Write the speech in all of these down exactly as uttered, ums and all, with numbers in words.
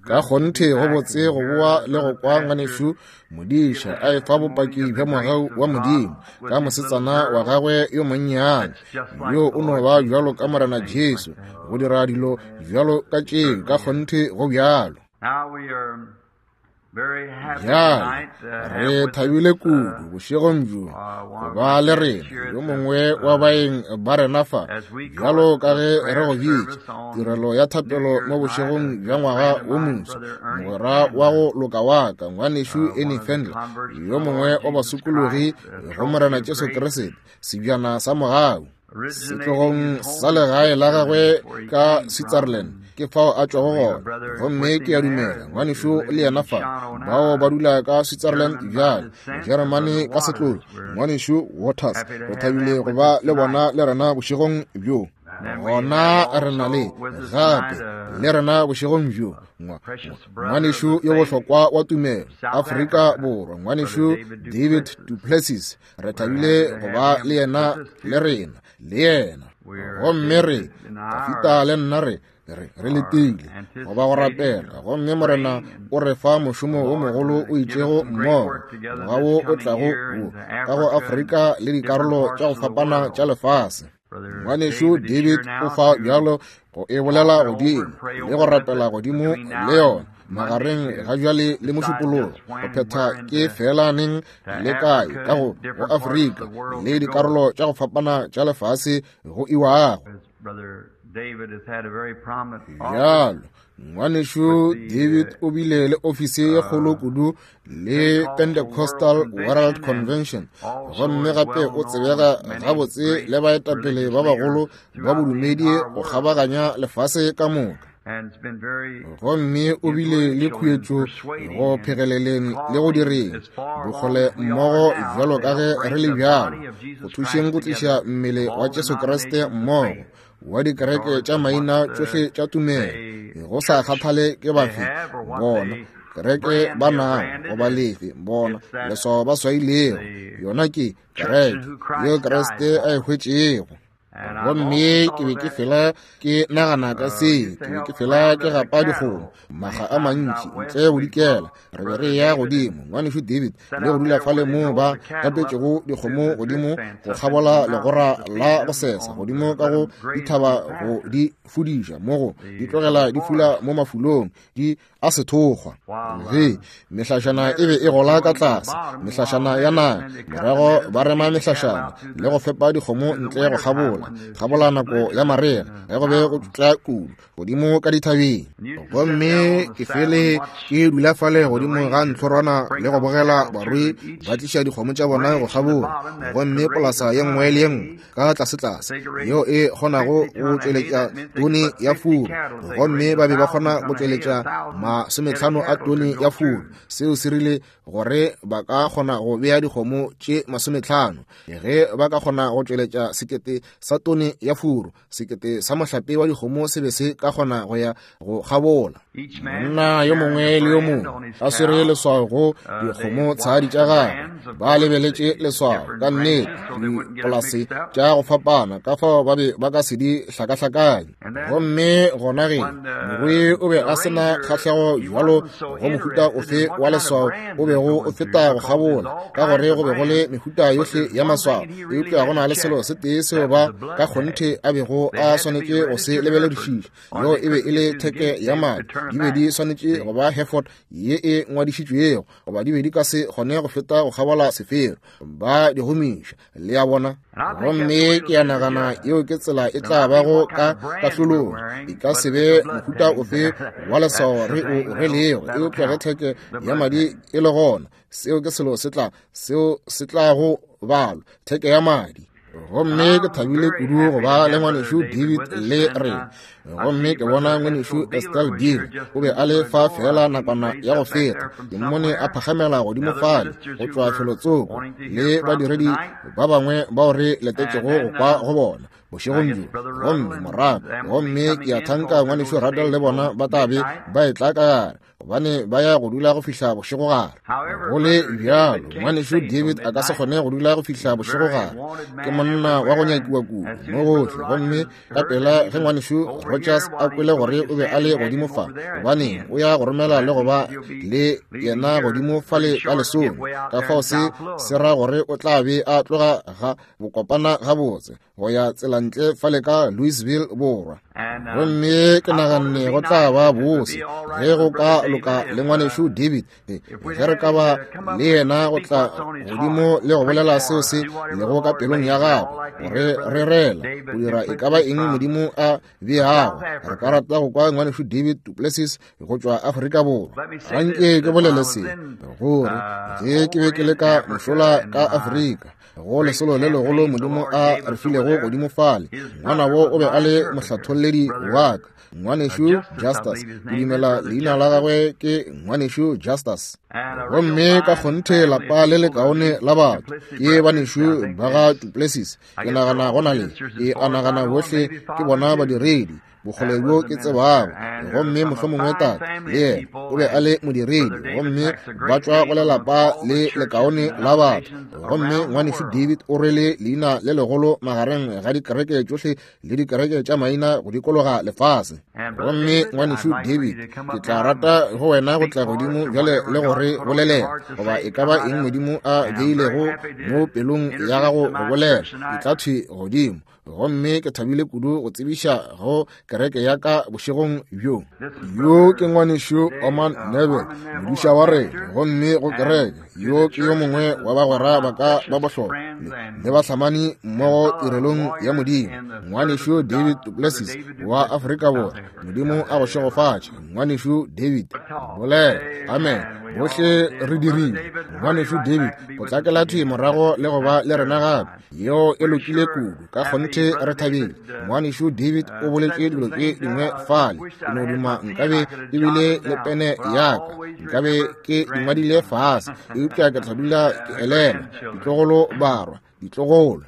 Ka kgonthe go botse go boa le go kwa ngwanešu modiša a efa bopaki bja mogau wa Modimo ka mosetsana wa gagwe yo monnyane yo o no ba bjalo ka Morena Jesu go dira dilo bjalo ka tšeo. Ka kgonthe go bjalo. Bjale re thabile kudu bošegong bjo go ba le rena yo mongwe wa baeng ba rena fa, bjalo ka ge re go bitša tirelo ya thapelo mo bošegong bja ngwaga wo moswa. Mogwera wa go loka wa ka ngwanešu Ernie Fendler, yo mongwe wa basokologi go Morena Jesu Kriste, sebjana sa mogau setlogong sa legae la gagwe ka Switzerland, ke fao a tšwago gona. Gomme ke a dumela ngwanešu le yena fa, bao ba dula ka Switzerland bjale, Jeremane ka setlogo, ngwanešu Waters. Re thabile go ba le bona le rena bošegong bjo. Gona re na le gape le rena bošegong bjo ngwanešu yo bohlokwa wa tumelo Afrika Borwa, ngwanešu David Duplessis. Re thabile go ba le yena le rena le yena. Gomme re Tafita le nna re re re letile go ba go rapela, gomme Morena o re fa mošomo wo mogolo o itšego mmogo ngwaga wo o tlago wo ka go Afrika le dikarolo tša go fapana tša lefase. Ngwanešu David o fa bjalo go e bolela godimo le go rapela godimo le yona magareng ga bjale le mošupologo go phetha ke fela neng le kae ka go go Afrika le dikarolo tša go fapana tša lefase go iwago. Bjalo ngwanešu David o bile le ofisi ye kgolo kudu le Pentecostal World Convention, gomme gape o tsebega gabotse le baetapele ba bagolo ba bodumedi go kgabaganya lefase ka moka. Gomme o bile le khuetšo go phegeleleng le go direng bokgole mmogo bjalo ka ge re le bjalo go thušeng go tliša mmele wa Jesu Kriste mmogo wa dikereke tša maina tšohle tša tumelo, go sa kgathale ke bafe bona kereke ba nago goba lefe bona leswao ba swailego, yona ke kereke yeo Kriste a e hwetšego. Gomme ke be ke fela ke nagana ka se, ke be ke fela ke gapa dikgomo makga a mantši ntle bodikela. Re be re ya godimo ngwanešu David le go dula fale moo ba gapetšego dikgomo godimo go kgabola legora la go sesa godimo ka go dithaba go di fudiša mo go di tlogela di fula mo mafulong di a sethokgwa. Ge mehlašana e be e gola ka tlase, mehlašana ya naga, morago ba rema mehlašana le go fepa dikgomo ntle go kgabola kgabola nako ya marega ge go be go tla kudu godimo ka dithabeng. Gomme ke fele ke dula fale godimo ga ntlhorwana le go bogela barui ba tliša dikgomo tša bona go kgabola. Gomme polasa ye nngwe le ye nngwe ka tlasetlase yeo e kgonago go tšweletša tone ya furu, gomme ba be ba kgona go tšweletša masometlhano a tone ya furu. Seo se rile gore ba ka kgona go bea dikgomo tše masometlhano ge ba ka kgona go tšweletša sekete sa tone ya furu. Sekete sa mohlape wa dikgomo se be se ka kgona go ya go kgabola. Monna yo mongwe le yo mongwe a swere leswao go dikgomo tshadi tša gagwe, ba lebeletše leswao ka nnete dipolase tša go fapana ka fao ba be ba ka se di hlakahlakanye. Gomme gona ge morui o be a se na kgahlego bjalo go mohuta ofe wa leswao o bego o feta go kgabola, ka gore go be go le mehuta yohle ya maswao, eupša go na le selo se tee seo ba ka kgonthe a bego a swanetše go se lebeledišiša, yeo e be e le theke ya madi. Di be di swanetše go ba Hereford ye e ngwadišitšwego, goba di be di ka se kgone go feta go kgabola sefero, ba di gomiša, le a bona. Gomme ke a nagana yeo ke tsela e tla bago ka kahlolong. E ka se be mohuta ofe wa leswao re o rwelego, eupša ge theke ya madi e le gona, seo ke selo se tla seo se tla go balwa, theke ya madi. Gomme ke thabile kudu go ba le ngwanešu David le rena. Gomme ke bona ngwanešu Estelle Dean o be a le fa fela nakwana ya go feta, ke mmone a phagamela godimo fale go tšwa felotsoko le badiredi ba bangwe bao re letetšego go kwa go bona bošegong bjo. Gomme morago gomme ke a thanka ngwanešu Radel le bona ba tla be ba etla ka gare gobane ba ya go dula go fihla bošegogare. Go le bjalo, ngwanešu David a ka se kgone go dula go fihla bošegogare. Ke monna wa go nyakiwa kudu mo gohle, gomme ka pela ge ngwanešu Rogers a kwele gore o be a le godimo fa, gobane o ya go romela le go ba le yena godimo fale ka lesome. Ka fao se se ra gore o tla be a tloga ga bokopana gabotse go ya tselantle fale ka Louisville borwa. Gomme ke naganne go tla ba bose ge go ka loka le ngwanešu David, ge re ka ba le yena go tla godimo le go bolela seo se lego ka pelong ya gagwe, gore re rela go dira e ka ba eng Modimo a beago. Re ka rata go kwa ngwanešu David du Plessis go tšwa Afrika Borwa. Anke ke bolele se, gore ge ke be ke le ka mošola ka Afrika, go lesolo le legolo Modimo a re filego godimo fale, ngwanabo o be a le mohlatholledi wa ka, ngwanešu Justus. Ke dumela leina la gagwe ke ngwanešu Justus. Gomme ka kgonthe lapa le lekaone la batho ke banešu ba ga du Plessis. Ke nagana go na le e a nagana bohle ke bona badiredi bokgole bjo ke tsebago, gomme mohlomongwe tate le yena o be a le modiredi, gomme ba tšwa go lelapa le lekaone la batho. Gomme ngwanešu David o rwele leina le legolo magareng ga dikereke tšohle le dikereke tša maina go dikologa lefase. Gomme ngwanešu David, ke tla rata go wena go tla godimo bjale le go re bolelela goba e ka ba eng Modimo a beilego mo pelong ya gago go bolela, e tla thwi godimo. Gomme ke thabile kudu go tsebiša go kereke ya ka bošegong bjo. Yo ke ngwanešu Oman Neville, modiša wa rena, gomme go kereke yo ke yo mongwe wa bagwera ba ka ba bohlokwa le bahlamani mmogo tirelong ya Modimo, ngwanešu David du Plessis wa Afrika Borwa. Modimo a go šegofatše, ngwanešu David. Bolela amen. Bohle re dirile. Ngwanešu David, potlakela thwi morago le go ba le rena gape. Yeo e lokile kudu, ka kgonthe re thabile. Ngwanešu David o boletše dilo tše dingwe fale, ke no duma nkabe ke bile le pene ya ka, nkabe ke di ngwadile fase, eupša ke tla dula ke elelwa ditlogolo barwa, ditlogolo.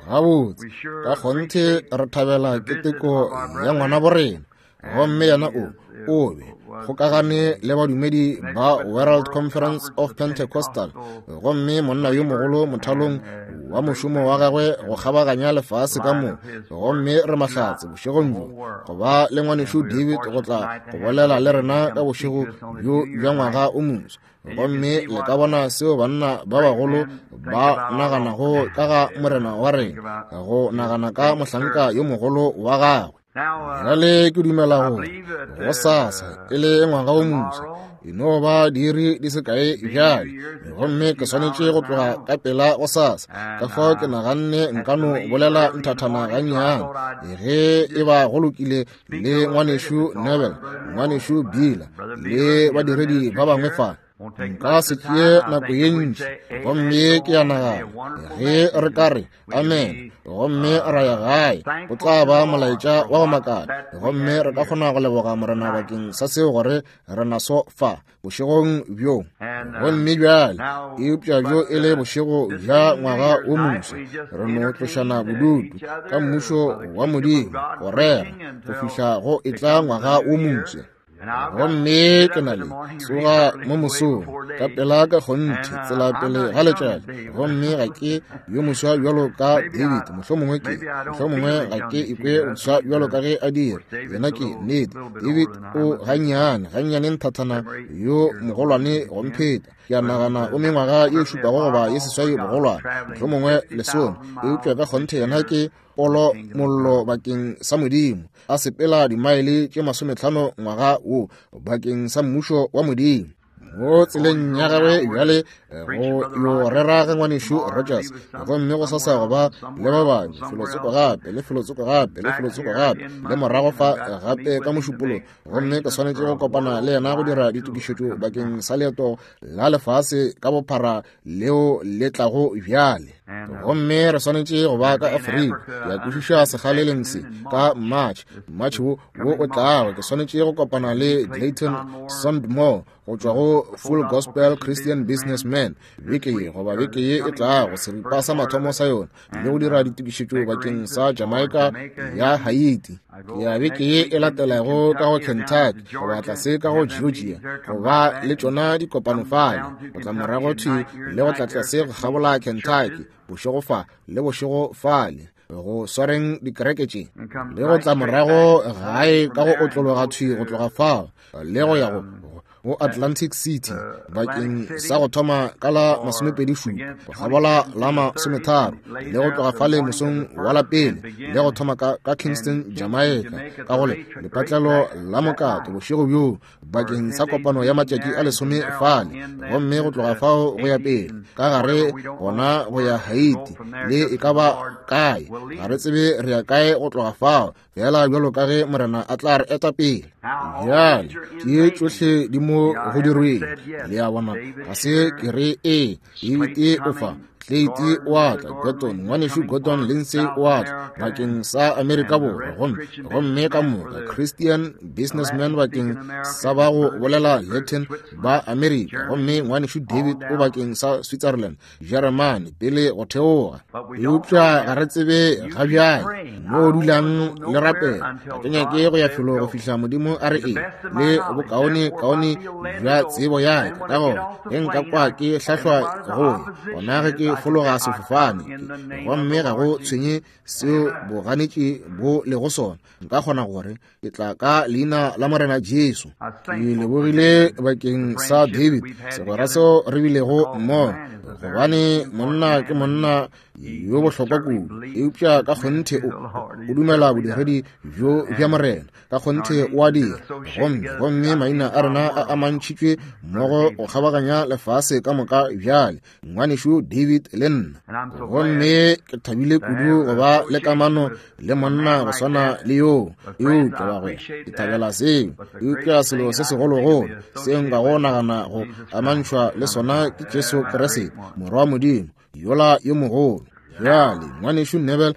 Gabotse, ka kgonthe re thabela keteko ya ngwana borena. Gomme yena o o be kgokagane le badumedi ba World Conference of Pentecostal, gomme monna yo mogolo mothalong wa mošomo wa gagwe go kgabaganya lefase ka mo. Gomme re mahlatse bošegong bjo go ba le ngwanešu David go tla go bolela le rena ka bošego bjo bja ngwaga o moswa. Gomme le ka bona seo banna ba bagolo ba naganago ka ga morena wa rena, go nagana ka mohlanka yo mogolo wa gagwe. Bjale ke dumela gore go sasa e le ngwaga o moswa, e no ba diiri di se kae bjale, gomme ke swanetše go tloga ka pela go sasa. Ka fao ke naganne nka no bolela nthathana gannyane, ge e ba go lokile le ngwanešu Neville, ngwanešu Bila le badiredi ba bangwe fa. Nka se tšee nako ye ntši, gomme ke a nagana ge re ka re amen gomme ra ya gae, go tla ba molaetša wa go makala, gomme re ka kgona go leboga Morena bakeng sa seo gore re naso fa bošegong bjo. Gomme bjale, eupša bjo e le bošego bja ngwaga o moswa, re no tlošana bodutu ka mmušo wa Modimo go rera go fihla go etla ngwaga o moswa. Gomme ke na le tsoga mo mosong ka pela ka kgonthe tsela pele ga letšatši, gomme ga ke yo moswa bjalo ka David, mohlomongwe ke mohlomongwe ga ke ikwe boswa bjalo ka ge a dira yena. Ke nnete David o gannyane gannyane nthathana yo mogolwane go mpheta. Ke a nagana o mengwaga ye šupago goba ye seswai bogolwane, mohlomongwe lesome, eupša ka kgonthe yena ke polo mollo bakeng sa Modimo, a sepela dimaele tše masometlhano ngwaga wo bakeng sa mmušo wa Modimo. Mo tseleng ya gagwe bjale go yo rera ge ngwanešu Rogers, gomme go sasa go ba le ba bangwe felotsoko gape le felotsoko gape le felotsoko gape le morago fa gape ka mošupolo. Gomme ke swanetše go kopana le yena go dira ditokišetšo bakeng sa leeto la lefase ka bophara leo le tlago bjale. Gomme re swanetše go ba ka Afrika. Ke a kwešiša sekgaleleng se ka March, March wo wo o tlago. Ke swanetše go kopana le Clayton Sandmore go tšwa go Full Gospel Christian Businessman beke ye goba beke ye e tlago, seripa sa mathomo sa yona, le go dira ditokišetšo bakeng sa Jamaica ya Haiti. Ke ya beke ye e latelago ka go Kentucky goba tlase ka go Georgia go ba le tšona dikopano fale, go tla morago thwi le go tla tlase go kgabola Kentucky bošego fa le bošego fale, go swareng dikereke tše, le go tla morago gae ka go otlologa thwi go tloga fao le go ya go go Atlantic City bakeng sa go thoma ka la masomepedi šupa go kgabola la masometharo, le go tloga fale mosong wa la pele le go thoma ka, ka Kingston, Jamaica ka go le lepatlelo la mokato bošego bjo bakeng sa kopano ya matšatši a lesome fale, gomme go tloga fao go ya pele ka gare gona go ya Haiti le e ka ba kae, ga re tsebe re ya kae go tloga fao, fela bjalo ka ge Morena a tla re eta pele. Bjale tše tšohle di mo go dirweng, le a bona, ga se ke re ee David o fa, Clayton o a tla, Gordon, ngwanešu Gordon Lindsay o a tla bakeng sa Amerika Borwa, gomme gomme ka moka Christian Businessman bakeng sa ba go bolela Latin ba Amerika, gomme ngwanešu David o bakeng sa Switzerland, Germany pele go theoga. Eupša ga re tsebe ga bjale mo dulang le rapela. Ga ke nyake go ya felo go fihla Modimo a re ee le bokaone kaone bja tsebo ya ka, ka gore ge nka kwa ke hlahlwa go ya gona ge ke fologa sefofane, gomme ga go tshwenye seo boganetši bo lego sona, nka kgona gore ke tla ka leina la Morena Jesu. Ke lebogile bakeng sa David, segwera seo re bilego mmogo, gobane monna ke monna yo bohlokwa kudu, eupša ka kgonthe o o dumela bodiredi bjo bja Morena, ka kgonthe o a dira. Gomme gomme maina a rena a amantšhitšwe mmogo go kgabaganya lefase ka moka bjale, ngwanešu David le nna. Gomme ke thabile kudu go ba le kamano le monna go swana le yoo, eupša bagwera ke thabela seo. Eupša selo se segologolo seo nka go nagana go amantšhwa le sona ke Jesu Kriste, Morwa wa Modimo yola yo mogolo. Bjale ngwanešu Neville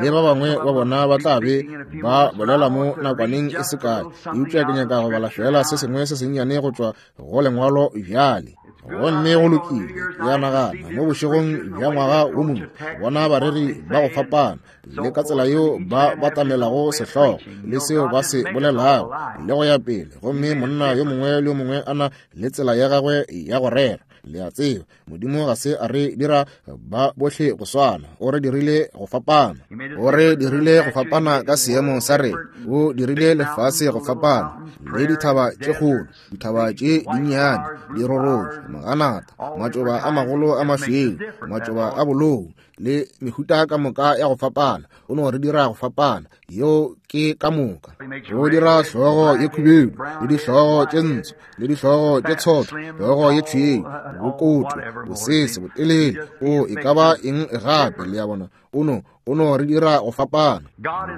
le ba bangwe ba bona ba tla be ba bolela mo nakwaneng e se kae, eupša ke nyaka go bala fela se sengwe se sennyane go tšwa go lengwalo bjale. Gomme go lokile, ke a nagana mo bošegong bja ngwaga wo mongwe bona bareri ba go fapana le ka tsela yeo ba batamelago sehlogo le seo ba se bolelago le go ya pele, gomme monna yo mongwe le yo mongwe a na le tsela ya gagwe ya go rera. Le a tseba, Modimo ga se a re dira ba bohle go swana, o re dirile go fapana, o re dirile go fapana ka seemo sa rena, o dirile lefase go fapana le dithaba tše kgolo, dithaba tše dinnyane, dirorotšo, maganata, matšoba a magolo a mašweu, matšoba a bolou le mehuta ka moka ya go fapana. O no re dira go fapana, yeo ke ka moka. O dira hlogo ye khubedu le dihlogo tše ntsho le dihlogo tše tshotho, hlogo ye tšhweu, bokoto, bosese, botelele, o e ka ba eng gape, le a bona. O no o no re dira go fapana.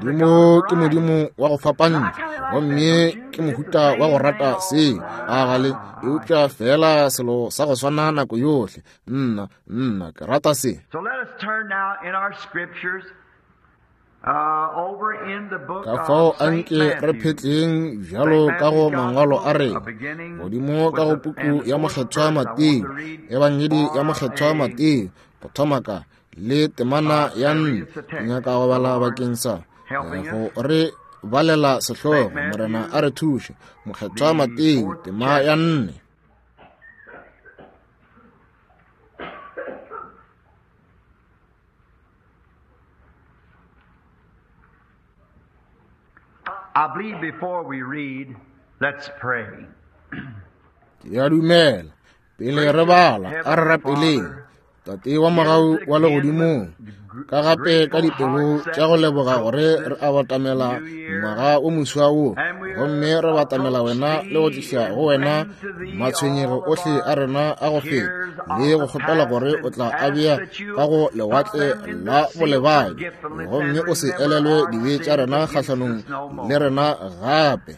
Modimo ke Modimo wa go fapantšha, gomme ke mohuta wa go rata seo a gale, eupša fela selo sa go swana nako yohle. Nna nna ke rata se. So let us turn now in our scriptures uh, over in the book Ka fao of Saint anke re Matthew. phetleng bjalo ka go mangwalo a rena godimo ka go puku ya Mokgethwa Mateo, Ebangedi ya Mokgethwa Mateo, go thoma ka le temana ya nne. Ke nyaka go bala bakeng sa go re balela sehlogo, Morena a re thuše. Mokgethwa Mateo, tema ya nne. I believe before we read, let's pray. Ke a dumela pele re bala a re rapeleng. Tate wa mogau wa legodimong, Ka gape ka dipelo tša go leboga gore re a batamela ngwaga o moswa wo, gomme re batamela wena le go tliša go wena matshwenyego ohle a rena a go feta, le go kgopela gore o tla a bea ka go lewatle la bolebadi, gomme o se elelwe dibe tša rena kgahlanong le rena gape.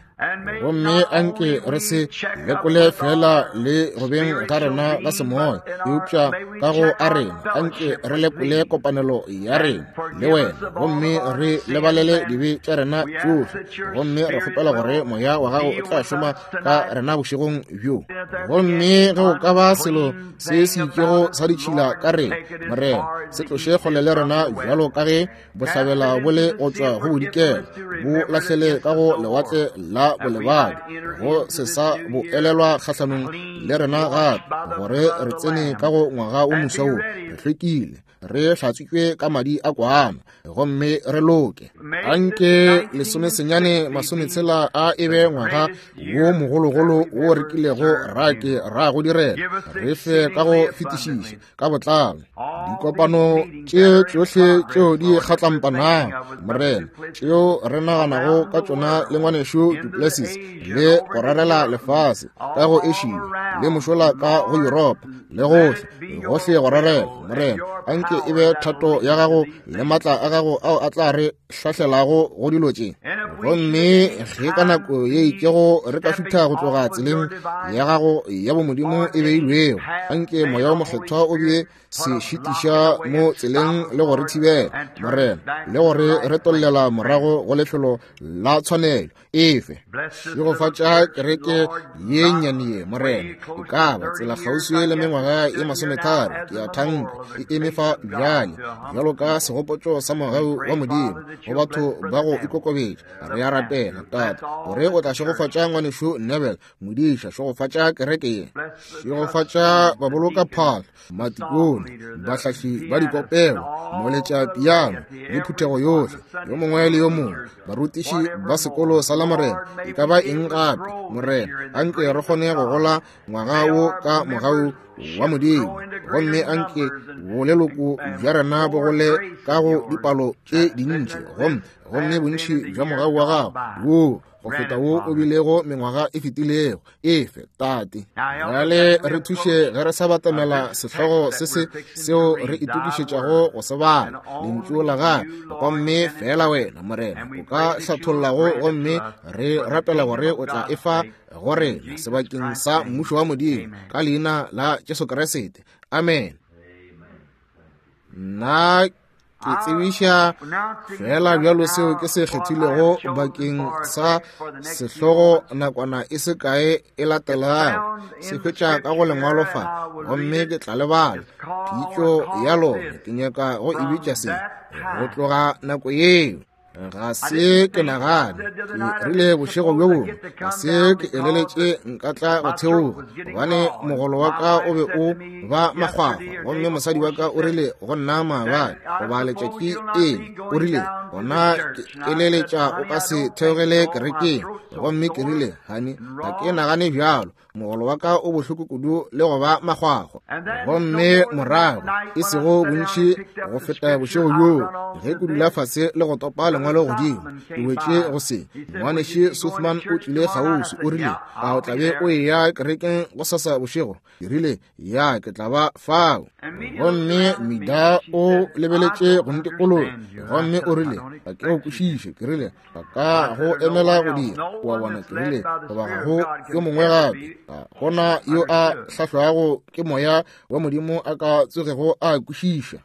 Gomme anke re se lekole fela le go beng ga rena ga semoya, eupša ka go a rena anke re lekole kopanelo ya rena le wena, gomme re lebalele dibe tša rena tšohle. Gomme re kgopela gore moya wa gago o tla šoma ka rena bošegong bjo. Gomme ge o ka ba selo se se itšego sa ditšhila ka rena, Morena, se tloše kgole le rena bjalo ka ge bohlabela bo le go tšwa go bodikela, bo lahlele ka go lewatle la bolebadi, go se sa bo elelwa kgahlanong le rena gape, gore re tsene ka go ngwaga o moswa wo re hlwekile, re hlatswitšwe ka madi a kwana, gomme re loke. Anke lesomesenyane masometshela a e be ngwaga wo mogologolo wo re kilego ra ke ra go direla, re fe ka go fetišiša ka botlalo dikopano tše tšohle tšeo di kgatlampanago, Morena, tšeo re naganago ka tšona le ngwanešu Du Plessis, le go rarela lefase ka go Asia le mošola ka go Yuropa le gohle gohle go rarela. Morena, anke e be thato ya gago le matla a gago ao a tla re hlahlelago go dilo tše. Gomme ge ka nako ye itšego re ka šutha go tloga tseleng ya gago ya bomodimo e beilwego, anke moya o mokgethwa o be se šitiša mo tseleng le go re thibela, Morena, le gore re tollela morago go lefelo la tshwanelo efe. Šegofatša kereke ye nnyane ye, Morena. E ka ba tsela kgauswi le mengwaga ye masometharo, ke a thanka, e eme fa bjale bjalo ka segopotšo sa mogau wa Modimo go batho ba go ikokobetša. Re a rapela, Tate, gore o tla šegofatša ngwanešu Neville, modiša, šegofatša kereke ye, šegofatša baboloka phahlo, matikone, bahlahli ba dikopelo, moletša piano le phuthego yohle, yo mongwe le yo mongwe, barutiši ba sekolo sa la Morena, e ka ba eng gape, Morena, anke re kgone go gola ngwaga wo ka mogau wa Modimo, gomme anke boleloko bja rena bo gole ka go dipalo tše dintši, gomme gomme bontši bja mogau wa gago wo go feta wo o bilego mengwaga e fetilego. Efe, Tate. Bjale re thuše ge re sa batamela sehlogo se se seo re itokišetšago go se bala, lentšu la gago, gomme fela wena, Morena, o ka hlathollago, gomme re rapela gore o tla efa go rena sebakeng sa mmušo wa Modimo, ka leina la Jesu Kriste. Amen. Nna ke tsebiša fela bjalo seo ke se kgethilego bakeng sa sehlogo nakwana e se kae e latelago. Se hwetša ka go lengwalo fa, gomme ke tla lebala pitšo ya lona. Ke nyaka go e bitša se, go tloga nako yeo. Ga se ke nagane, ke rile bošego bjo bongwe, ga se ke eleletše nka tla go theoga, gobane mogolo wa ka o be o ba makgwakgwa, gomme mosadi wa ka o rile go nna maabane goba letšatši ele, o rile, gona ke eleletša o ka se theogele kerekeng. Gomme ke rile, honey, ga ke nagane bjalo, mogolo wa ka o bohloko kudu le go ba makgwakgwa. Gomme morago e sego bontši go feta bošego bjoo, ge ke dula fase le go topa lengwalo godimo, ke wetše go se. Ngwanešu Sothman o tlile kgauswi, o rile, a o tla be o eya kerekeng gosasa bošego? Ke rile, ya, ke tla ba fao. Gomme Mida o lebeletše go ntikologa, gomme o rile, ga ke go kwešiše. Ke rile, ga ka go emela go dira, wa bona. Ke rile, goba ga go yo mongwe gape, ga gona yo a hlahlwago ke moya wa Modimo a ka tsogego a kwešiša.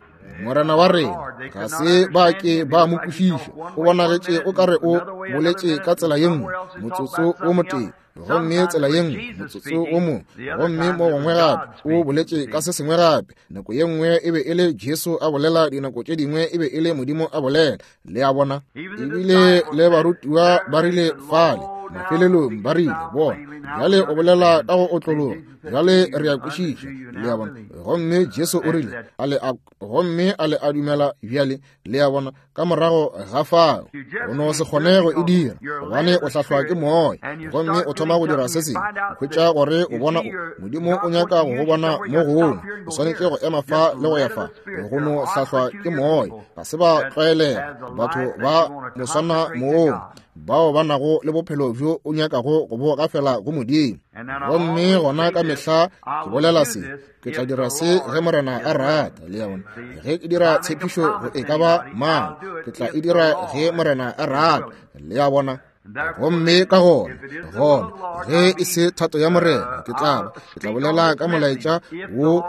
Morena wa rena ga se ba ke ba mo kwešiša, o bonagetše o kare o boletše ka tsela ye nngwe motsotso o motee, gomme tsela ye nngwe motsotso o mongwe, gomme mo gongwe gape o boletše ka se sengwe gape. Nako ye nngwe e be e le Jesu a bolela, dinako tše dingwe e be e le Modimo a bolela. Le a bona? Ebile le barutiwa ba rile fale, Mafelelong ba rile, bona, bjale o bolela ka go otlologa, bjale re a kwešiša. Le a bona? Gomme Jesu o rile, a le a, gomme a le a dumela bjale? Le a bona? Ka morago ga fao o no se kgone go e dira, gobane o hlahlwa ke moya, gomme o thoma go dira se sengwe, o hwetša gore o bona o, Modimo o nyaka go go bona mo gongwe, o swanetše go ema fa le go ya fa, go no hlahlwa ke moya. Ga se ba tlwaelega batho ba moswana moo, bao ba nago le bophelo bjo o nyakago go bo gafela go Modimo. Gomme gona ka mehla ke bolela se, ke tla dira se ge Morena a rata. Le a bona? Ge ke dira tshepišo go e ka ba mang, ke tla e dira ge Morena a rata. Le a bona? Gomme ka gona, gona, ge e se thato ya Morena, ke tla ba, ke tla bolela ka molaetša wo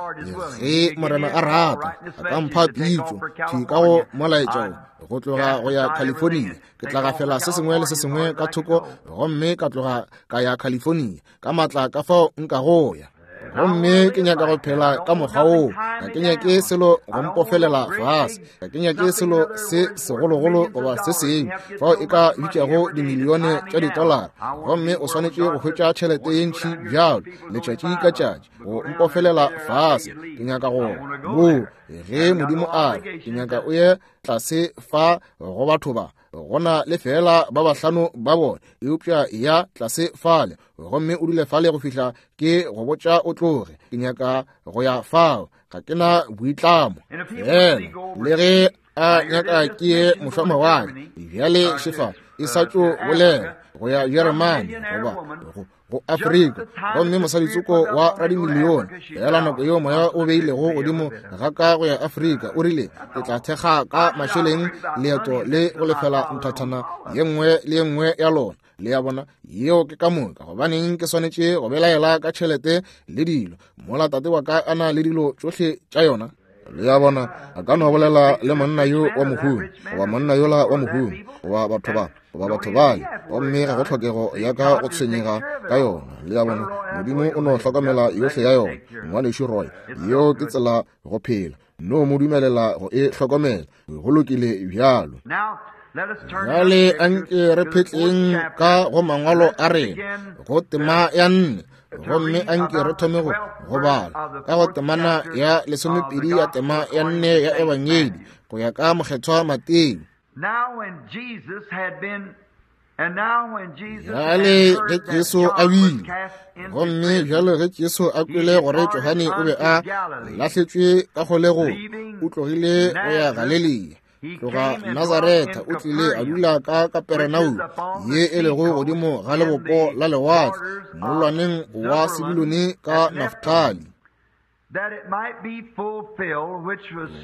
ge Morena a rata, a ka mpha pitšo thwi ka go molaetša wo, go tloga go ya California. Ke tla gafela se sengwe le se sengwe ka thoko, gomme ka tloga ka ya California ka matla ka fao nka go ya. Gomme ke nyaka go phela ka mokgwa woo. Ga ke nyake selo go mpofelela fase, ga ke nyake selo se segologolo goba se sengwe fao e ka bitšago dimilione tša ditolara, gomme o swanetše go hwetša tšhelete ye ntši bjalo letšatši ka tšatši go mpofelela fase. Ke nyaka go moo ge Modimo a re, ke nyaka o ye tlase fa go batho ba, go na le fela ba bahlano ba bona, eupša ya tlase fale, gomme o dule fale go fihla ke go botša o tloge. Ke nyaka go ya fao, ga ke na boitlamo. Fela le ge a nyaka ke ye mošwamawatle, bjale šefa e sa tšo bolela go ya Jeremane goba go go Afrika, gomme mosaditsoko wa radimilione, fela nako yeo moya o beilego godimo ga ka go ya Afrika, o rile, ke tla thekga ka mašeleng leeto le go lefela nthathana ye nngwe le ye nngwe ya lona. Le a bona? Yeo ke ka moka. Gobaneng ke swanetše go belaela ka tšhelete le dilo mola tate wa ka a na le dilo tšohle tša yona? Le a bona? A ka no bolela le monna yo wa mohumi, goba monna yola wa mohumi, goba batho ba, goba batho bale, gomme ga go tlhokego ya ka go tshwenyega ka yona. Le a bona? Modimo o no hlokomela yohle ya yona. Ngwanešu Roy, yeo ke tsela go phela. No mo dumelela go e hlokomela. Go lokile bjalo. Bjale anke re phetleng ka go mangwalo a rena go tema ya nne, gomme anke re thome go go bala ka go temana ya lesomepedi ya tema ya nne ya Ebangedi go ya ka mokgethwa Mateo. Bjale ge Jesu a wile, gomme bjale ge Jesu a kwele gore Johane o be a lahletšwe ka kgolegong, o tlogile go ya Galilea. Tloga Nazaretha o tlile a dula ka Kaperenaume, ye e lego godimo ga lebopo la lewatle, mollwaneng wa Sebulone ka Naftali,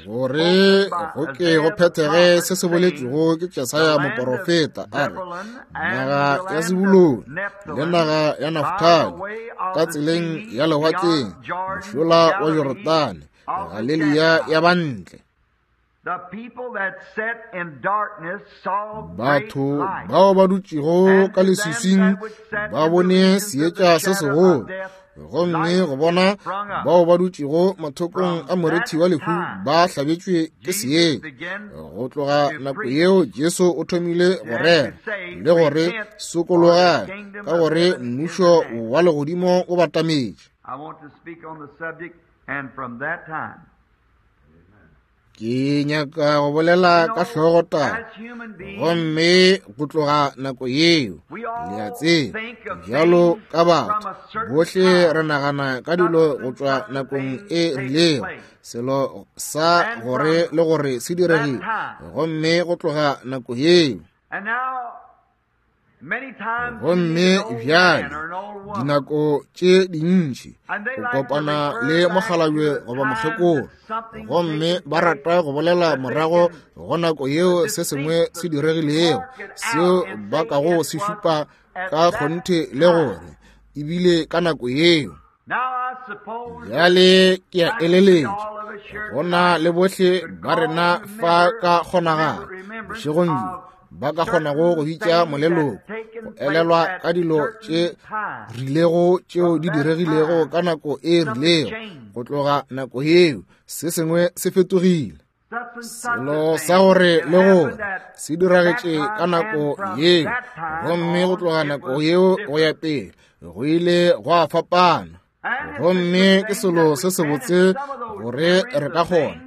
gore go ke go phethege se se boletšwego ke Jesaya moporofeta, a re, naga ya Sebulone le naga ya Naftali, ka tseleng ya lewatleng, mošola wa Jorodane, Galilea ya bantle. Batho bao ba dutšego ka leswiswing ba bone seetša se segolo, gomme go bona bao ba dutšego mathokong a morithi wa lehu ba hlabetšwe ke seetša. Go tloga nako yeo Jesu o thomile go rera le gore sokologang, ka gore mmušo wa legodimo o batametše. Ke nyaka go bolela ka hlogotaba, gomme go tloga nako yeo, le a tseba, bjalo ka batho bohle re nagana ka dilo go tšwa nakong e rilego, selo sa gore le gore se diregile, gomme go tloga nako yeo. Gomme bjale dinako tše dintši o kopana le mokgalabje goba mokgekolo, gomme ba rata go bolela morago go nako yeo se sengwe se diregilego seo ba kago se šupa ka kgonthe le gore ebile ka nako yeo. Bjale ke a eleletša go na le bohle ba rena fa ka kgonagalo bošegong bjo ba ka kgonago go bitša moleloko go elelwa ka dilo tše rilego tšeo di diregilego ka nako e rilego. Go tloga nako yeo se sengwe se fetogile. Selo sa gore le gore se diragetše ka nako yeo, gomme go tloga nako yeo go ya pele go ile gwa fapana. Gomme ke selo se sebotse gore re ka kgona.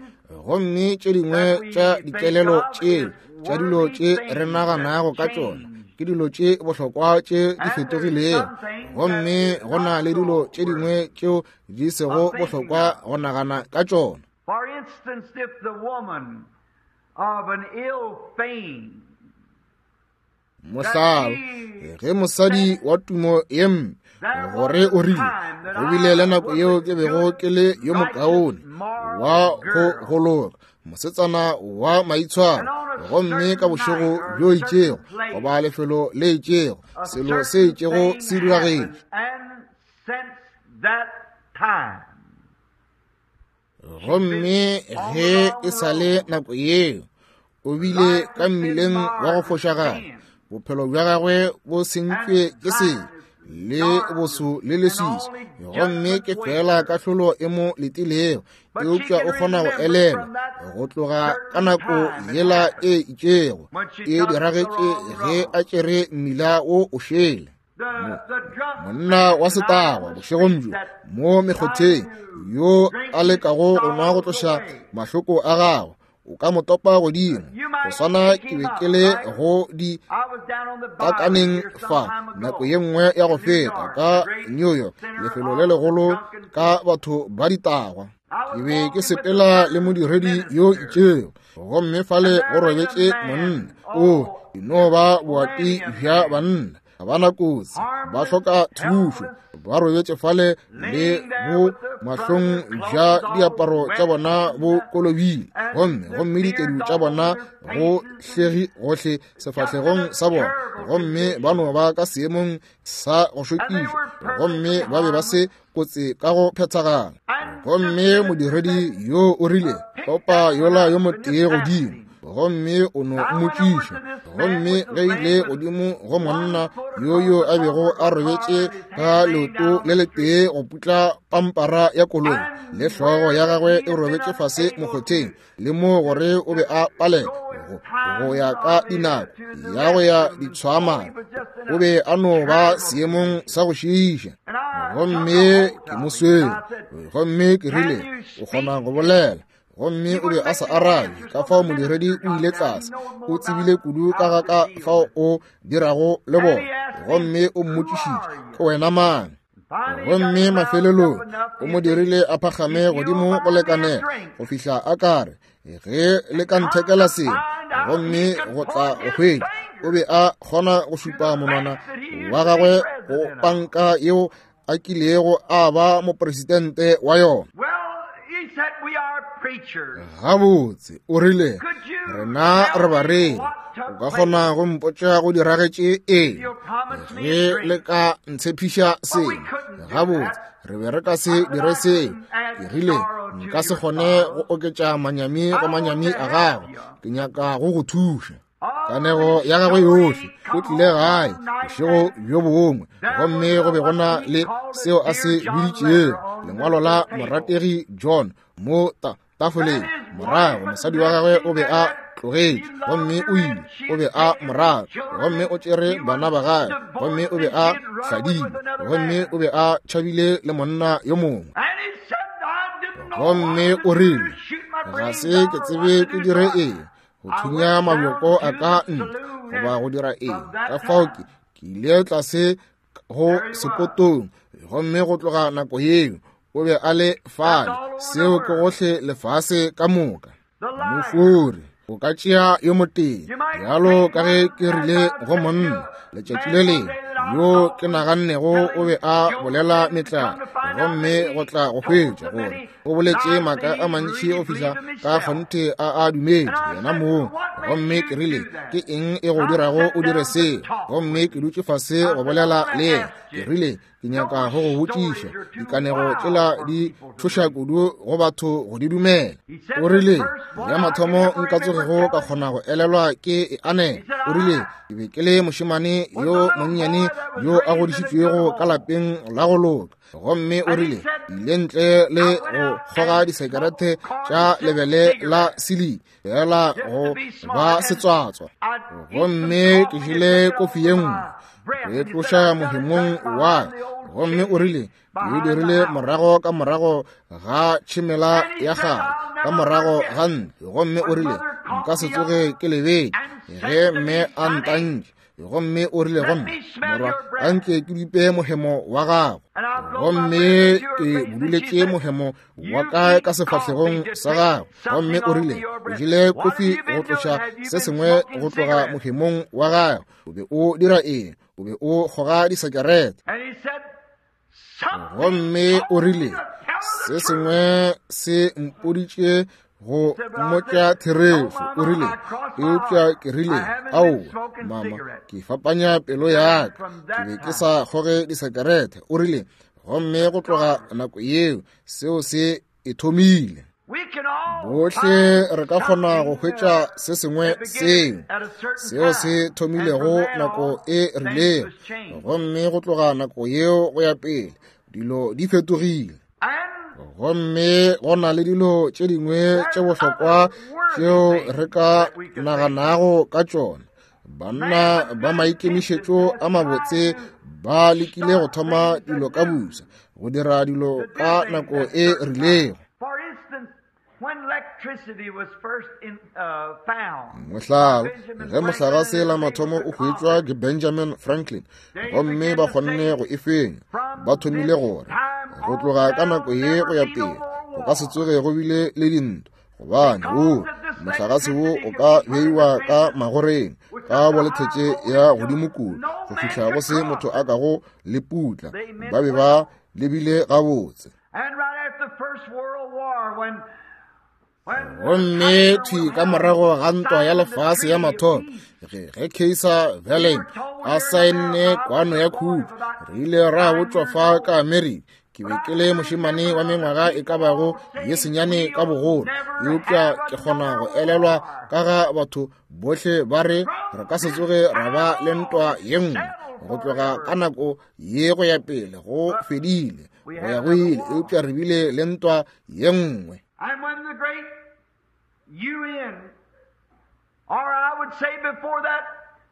Gomme tše dingwe tša dikelelo tše tša dilo tše re naganago ka tšona ke dilo tše bohlokwa tše di fetogilego, gomme go na le dilo tše dingwe tšeo di sego bohlokwa go nagana ka tšona. For instance, if the woman of an ill fame, mohlala, ge mosadi wa tumo ye mpe gore o rile, go bile le nako yeo ke bego ke le yo mokaone wa go gologa, mosetsana wa maitshwaro, gomme ka bošego bjo itšego goba lefelo le itšego selo se itšego se diragetše. Gomme ge e sa le nako yeo o bile ka mmileng wa go fošagala, bophelo bja gagwe bo sentšwe ke sebe le boso le leswiswi, gomme ke fela kahlolo e mo letilego. Eupša o kgona go elelwa go tloga ka nako yela e itšego e diragetše ge a tšere mmila wo o šele. Monna wa setagwa bošegong bjo mo mekgotheng yo a lekago go nwa go tloša mahloko a gagwe, o ka mo topa godimo go swana ke be ke le go di takaneng fa nako ye nngwe ya go feta ka New York, lefelo le legolo ka batho ba ditagwa. Ke be ke sepela le modiredi yo itšego, gomme fale go robetše monna o e no ba boati bja banna, ga ba na kotsi, ba hloka thušo, ba robetše fale le bo mahlong bja diaparo tša bona bo kolobile, gomme gomme ditedu tša bona go hlegi gohle sefahlegong sa bona, gomme ba no ba ka seemong sa go šokiša, gomme ba be ba se kotsi ka go phethagala. Gomme modiredi yo o rile, topa yola yo motee godimo, gomme o no mmotšiša. Gomme ge ile godimo go monna yo yo a bego a robetše ka leoto le letee go putla pampara ya koloi, le hlogo ya gagwe e robetše fase mokgotheng, le mo gore o be a palela go, go ya ka dinako ya go ya ditshwamana, o be a no ba seemong sa go šiiša. Gomme ke mo swere, gomme ke rile, o kgona go bolela? Gomme o be a sa arabe. Ka fao modiredi o ile tlase, o tsebile kudu ka ga ka fao o dirago le bona, gomme o mmotšišitše, ke wena mang? Gomme mafelelong o mo dirile a phagame godimo go lekanela go fihla a kare ge le ka nthekela sengwe, gomme go tla go hwetša o be a kgona go šupa monwana wa gagwe go panka yeo a kilego a ba mopresidente wa yona. Gabotse, o rile, rena re bareri, o ka kgona go mpotša go diragetše eng ge le ka ntshepiša sengwe? Gabotse, re be re ka se dire seo. Ke rile, nka se kgone go oketša manyami go manyami a gago, ke nyaka go go thuša. Kanego ya gagwe yohle, o tlile gae bošego bjo bongwe, gomme go be go na le seo a se biditšego lengwalo la morategi John mo ta tafoleng. Morago mosadi wa gagwe o be a tlogetše, gomme o ile, o be a morago, gomme o tšere bana ba gagwe, gomme o be a hladile, gomme o be a tšhabile le monna yo mongwe. Gomme o rile, ga se ke tsebe ke dire eng, go thunya mabjoko a ka ntle goba go dira eng. Ka fao ke ke ile tlase go sepotong, gomme go tloga nako yeo o be a le fale. Seo ke gohle lefase ka moka. Mofori o ka tšea yo motee, bjalo ka ge ke rile go monna letšatši le lengwe yo ke nagannego o be a bolela metlala, gomme go tla go hwetša gore o boletše maaka a mantši go fihla ka kgonthe a a dumetše yena mong. Gomme ke rile, ke eng e go dirago o dire seo? Gomme ke dutše fase go bolela le yena. Ke rile, ke nyaka go go botšiša, dikanego tšela di tšhoša kudu go batho go di dumela. O rile, ya mathomo nka tsogego ka kgona go elelwa ke e anela. O rile, ke be ke le mošemane yo monnyane yo a godišitšwego ka lapeng la go loka. Gomme o rile, Ile ntle le go kgoga disekerete tša lebele la sili fela go ba setswatswa. Gomme ke jele kofi ye nngwe go e tloša mohemong wa ka. Gomme o rile ke e dirile morago ka morago ga tšhimela ya gagwe, ka morago ga ntlo. Gomme o rile nka se tsoge ke lebetše ge mme a ntantše. Gomme o rile go nna, morwa, anke ke bipe mohemo wa gago. Gomme ke buduletše mohemo wa ka ka sefahlegong sa gago. Gomme o rile o jele kofi go tloša se sengwe go tloga mohemong wa gago. O be o dira eng? O be o kgoga disekerete. Gomme o rile se sengwe se mpoditše go mmotša therešo. O rile eupša ke rile aowa mama, ke fapanya pelo ya ka, ke be ke sa kgoge disekerete. O rile gomme go tloga nako yeo seo se e thomile. Bohle re ka kgona go hwetša se sengwe seo seo se thomilego nako e rilego, gomme go tloga nako yeo go ya pele dilo di fetogile. Gomme go na le dilo tše dingwe tše bohlokwa tšeo re ka naganago ka tšona. Banna ba maikemišetšo a mabotse ba lekile go thoma dilo ka busa, go dira dilo ka nako e rilego. Mohlala, ge mohlagase la mathomo o hwetšwa ke Benjamin Franklin, gomme ba kgonne go e fenya, ba thomile gore go tloga ka nako ye go ya pele go ka se tsoge go bile le dintwa, gobane wo mohlagase wo o ka beiwa ka magoreng ka bolethetše ya godimo kudu go fihla go se motho a kago le putla. Ba be ba lebile gabotse. Gomme thwi ka morago ga ntwa ya lefase ya mathomo, ge ge Kaiser Wilhelm a saenne kwano ya khutšo, re ile ra botšwa fa ka Amerika. Ke be ke le mošemane wa mengwaga e ka bago ye senyane ka bogolo, eupša ke kgona go elelwa ka ga batho bohle ba re re ka se tsoge ra ba le ntwa ye nngwe. Go tloga ka nako ye go ya pele go fedile go ya go ile, eupša re bile le ntwa ye nngwe. And when the great U N, or I would say before that,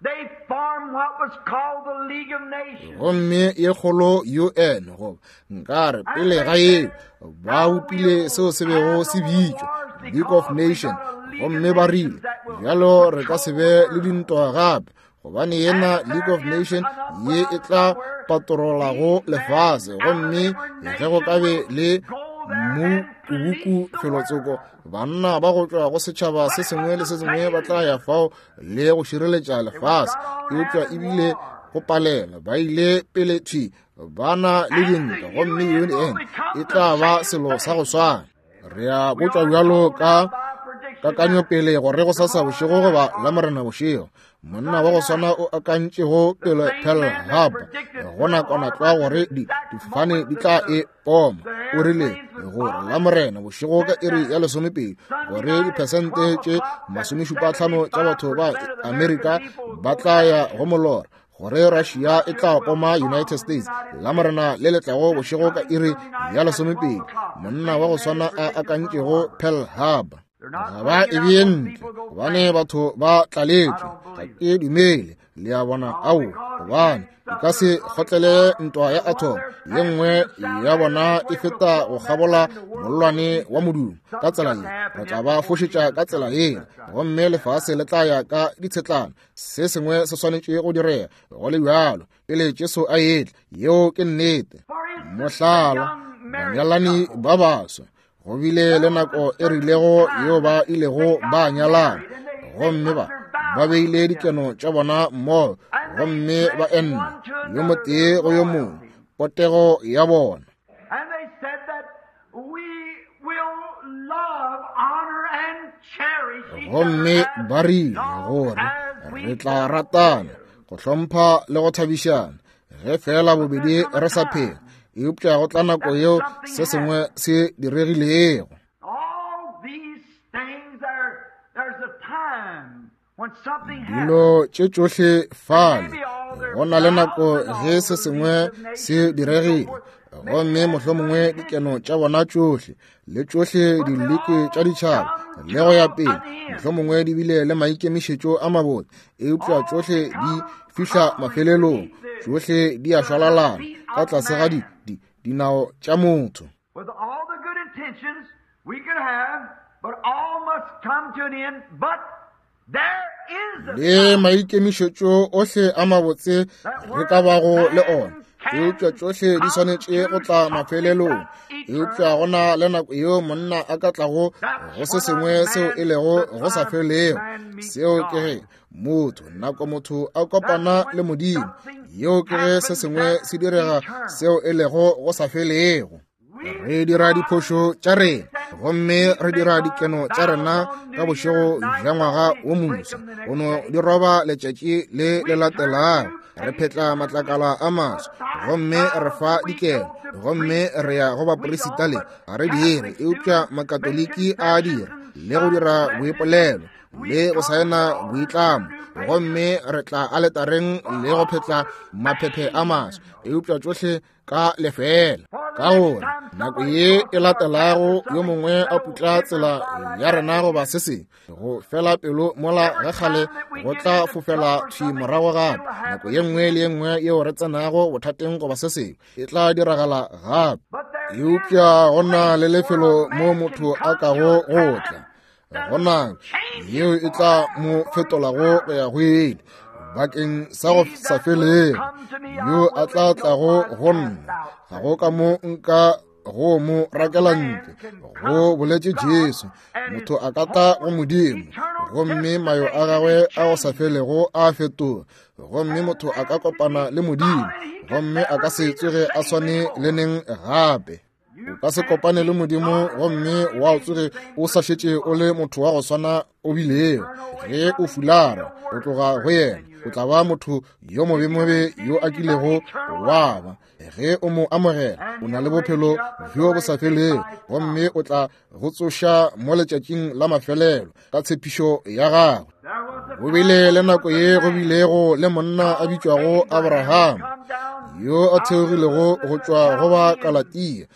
they formed what was called the League of Nations. Gomme ye kgolo U N, goba nkare pele ga yeo, ba bopile seo se bego se bitšwa League of Nations. Gomme ba rile bjalo re ka se be le dintwa gape, gobane yena League of Nations ye e tla patrolago lefase. Gomme ge go ka be le mu kubuku felotsoko, banna ba go tšwa go setšhaba se sengwe le se sengwe ba tla ya fao le go šireletša lefase. Eupša ebile go palela, ba ile pele thwi ba na le dintwa, gomme U N e tla ba selo sa go swana. Re a botšwa bjalo ka kakanyo pele gore go sasa bošego goba la morena bošego, monna wa go swana o akantšego pele Pearl Harbor go nakwana tlwa gore difofane di tla e poma, o rile gore la morena bošego ka iri ya lesomepedi gore diphesente tše masomešupatlhano tša batho ba Amerika ba tla ya go molora, gore Russia e tla poma United States la morena le letlago bošego ka iri ya lesomepedi. Monna wa go swana a akantšego Pearl Harbor. Ga ba e bee ntle gobane batho ba tlaletšwe. Ga ke dumele, le a bona, ao, gobane di ka se kgotlele ntwa ya atom. Ye nngwe ya bona e feta go kgabola mollwane wa modumo ka tsela ye, re tla ba fošetša ka tsela yela, gomme lefase le tla ya ka ditshetlana. Se sengwe se swanetše go direga go le bjalo pele Jesu a etla. Yeo ke nnete. Mohlala, banyalani ba baswa go bile le nako e rilego yeo ba ilego ba nyalana, gomme ba ba beile dikeno tša bona mmogo, gomme ba enna yo motee go yo mongwe potego ya bona. Gomme ba rile gore re tla ratana, go hlompha le go thabišana ge fela bobedi re sa phela. Eupša go tla nako yeo se sengwe se diregilego. Dilo tše tšohle fale, go na le nako ge se sengwe se diregile, Gomme mohlomongwe dikeno tša bona tšohle le tšohle dileke tša ditšhaba le go ya pele, mohlomongwe di bile le maikemišetšo a mabotse, eupša tšohle di fihla mafelelong, tšohle di a šwalalana ka tlase ga di, di, dinao tša motho. With all the good intentions we could have, but all must come to an end, but there is a Le maikemišetšo ohle a mabotse re ka bago le ona, eupša tšohle di swanetše go tla mafelelong. Eupša go na le nako yeo monna a ka tlago go se sengwe seo e lego go sa felego. Seo ke ge motho, nako motho a kopana le Modimo, yeo ke ge se sengwe se direga seo e lego go sa felego. Re dira diphošo tša rena, gomme re dira dikeno tša rena ka bošego bja ngwaga wo moswa, go no di roba letšatši le le latelago. Re phetla matlakala a maswa, gomme re fa dikeno, gomme re ya go baporesita le ga re dire, eupša Makatoliki a dira, le go dira boipolelo le go saena boitlamo, gomme re tla aletareng le go phetla maphephe a maswa, eupša tšohle ka lefela. Ka gore nako ye e latelago yo mongwe a putla tsela ya rena goba se sengwe, go fela pelo mola ga kgale go tla fofela thwi morago gape. Nako ye nngwe le ye nngwe yeo re tsenago bothateng goba se sengwe e tla diragala gape. Eupša go na le lefelo mo motho a kago go tla gona yeo e tla mo fetolago go ya go ile bakeng sa go sa felego. Yo a tla tlago go nna, ga go ka mo nka go mo rakela ntle, go boletše Jesu. Motho a ka tla go Modimo, gomme mayo a gagwe a go sa felego a fetoga, gomme motho a ka kopana le Modimo, gomme a ka se tsoge a swane le neng gape. O ka se kopane le Modimo gomme wa tsoge o sa šetše o le motho wa go swana o bilego. Ge o fulara o tloga go yena, o tla ba motho yo mobemobe yo a kilego wa ba. Ge o mo amogela, o na le bophelo bjo bo sa felego, gomme o tla go tsoša mo letšatšing la mafelelo ka tshepišo ya gagwe. Go bile le nako ye go bilego le monna a bitšwago Abraham, yo a theogilego go tšwa go ba Kalatia,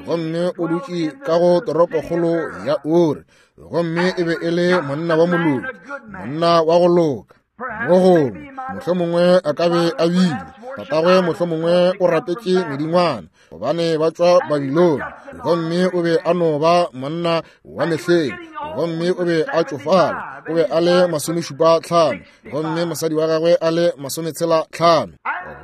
gomme o dutše ka go toropokgolo ya Uri, gomme e be e le monna wa moloki, monna wa go loka. Mo gongwe mohlomongwe a ka be a bile tatagwe, mohlomongwe o rapetše medingwana gobane ba tšwa Babilone, gomme o be a no ba monna wa mehleng, gomme o be a tšofala, o be a le masomešupa tlhano, gomme mosadi wa gagwe a le masometshela tlhano.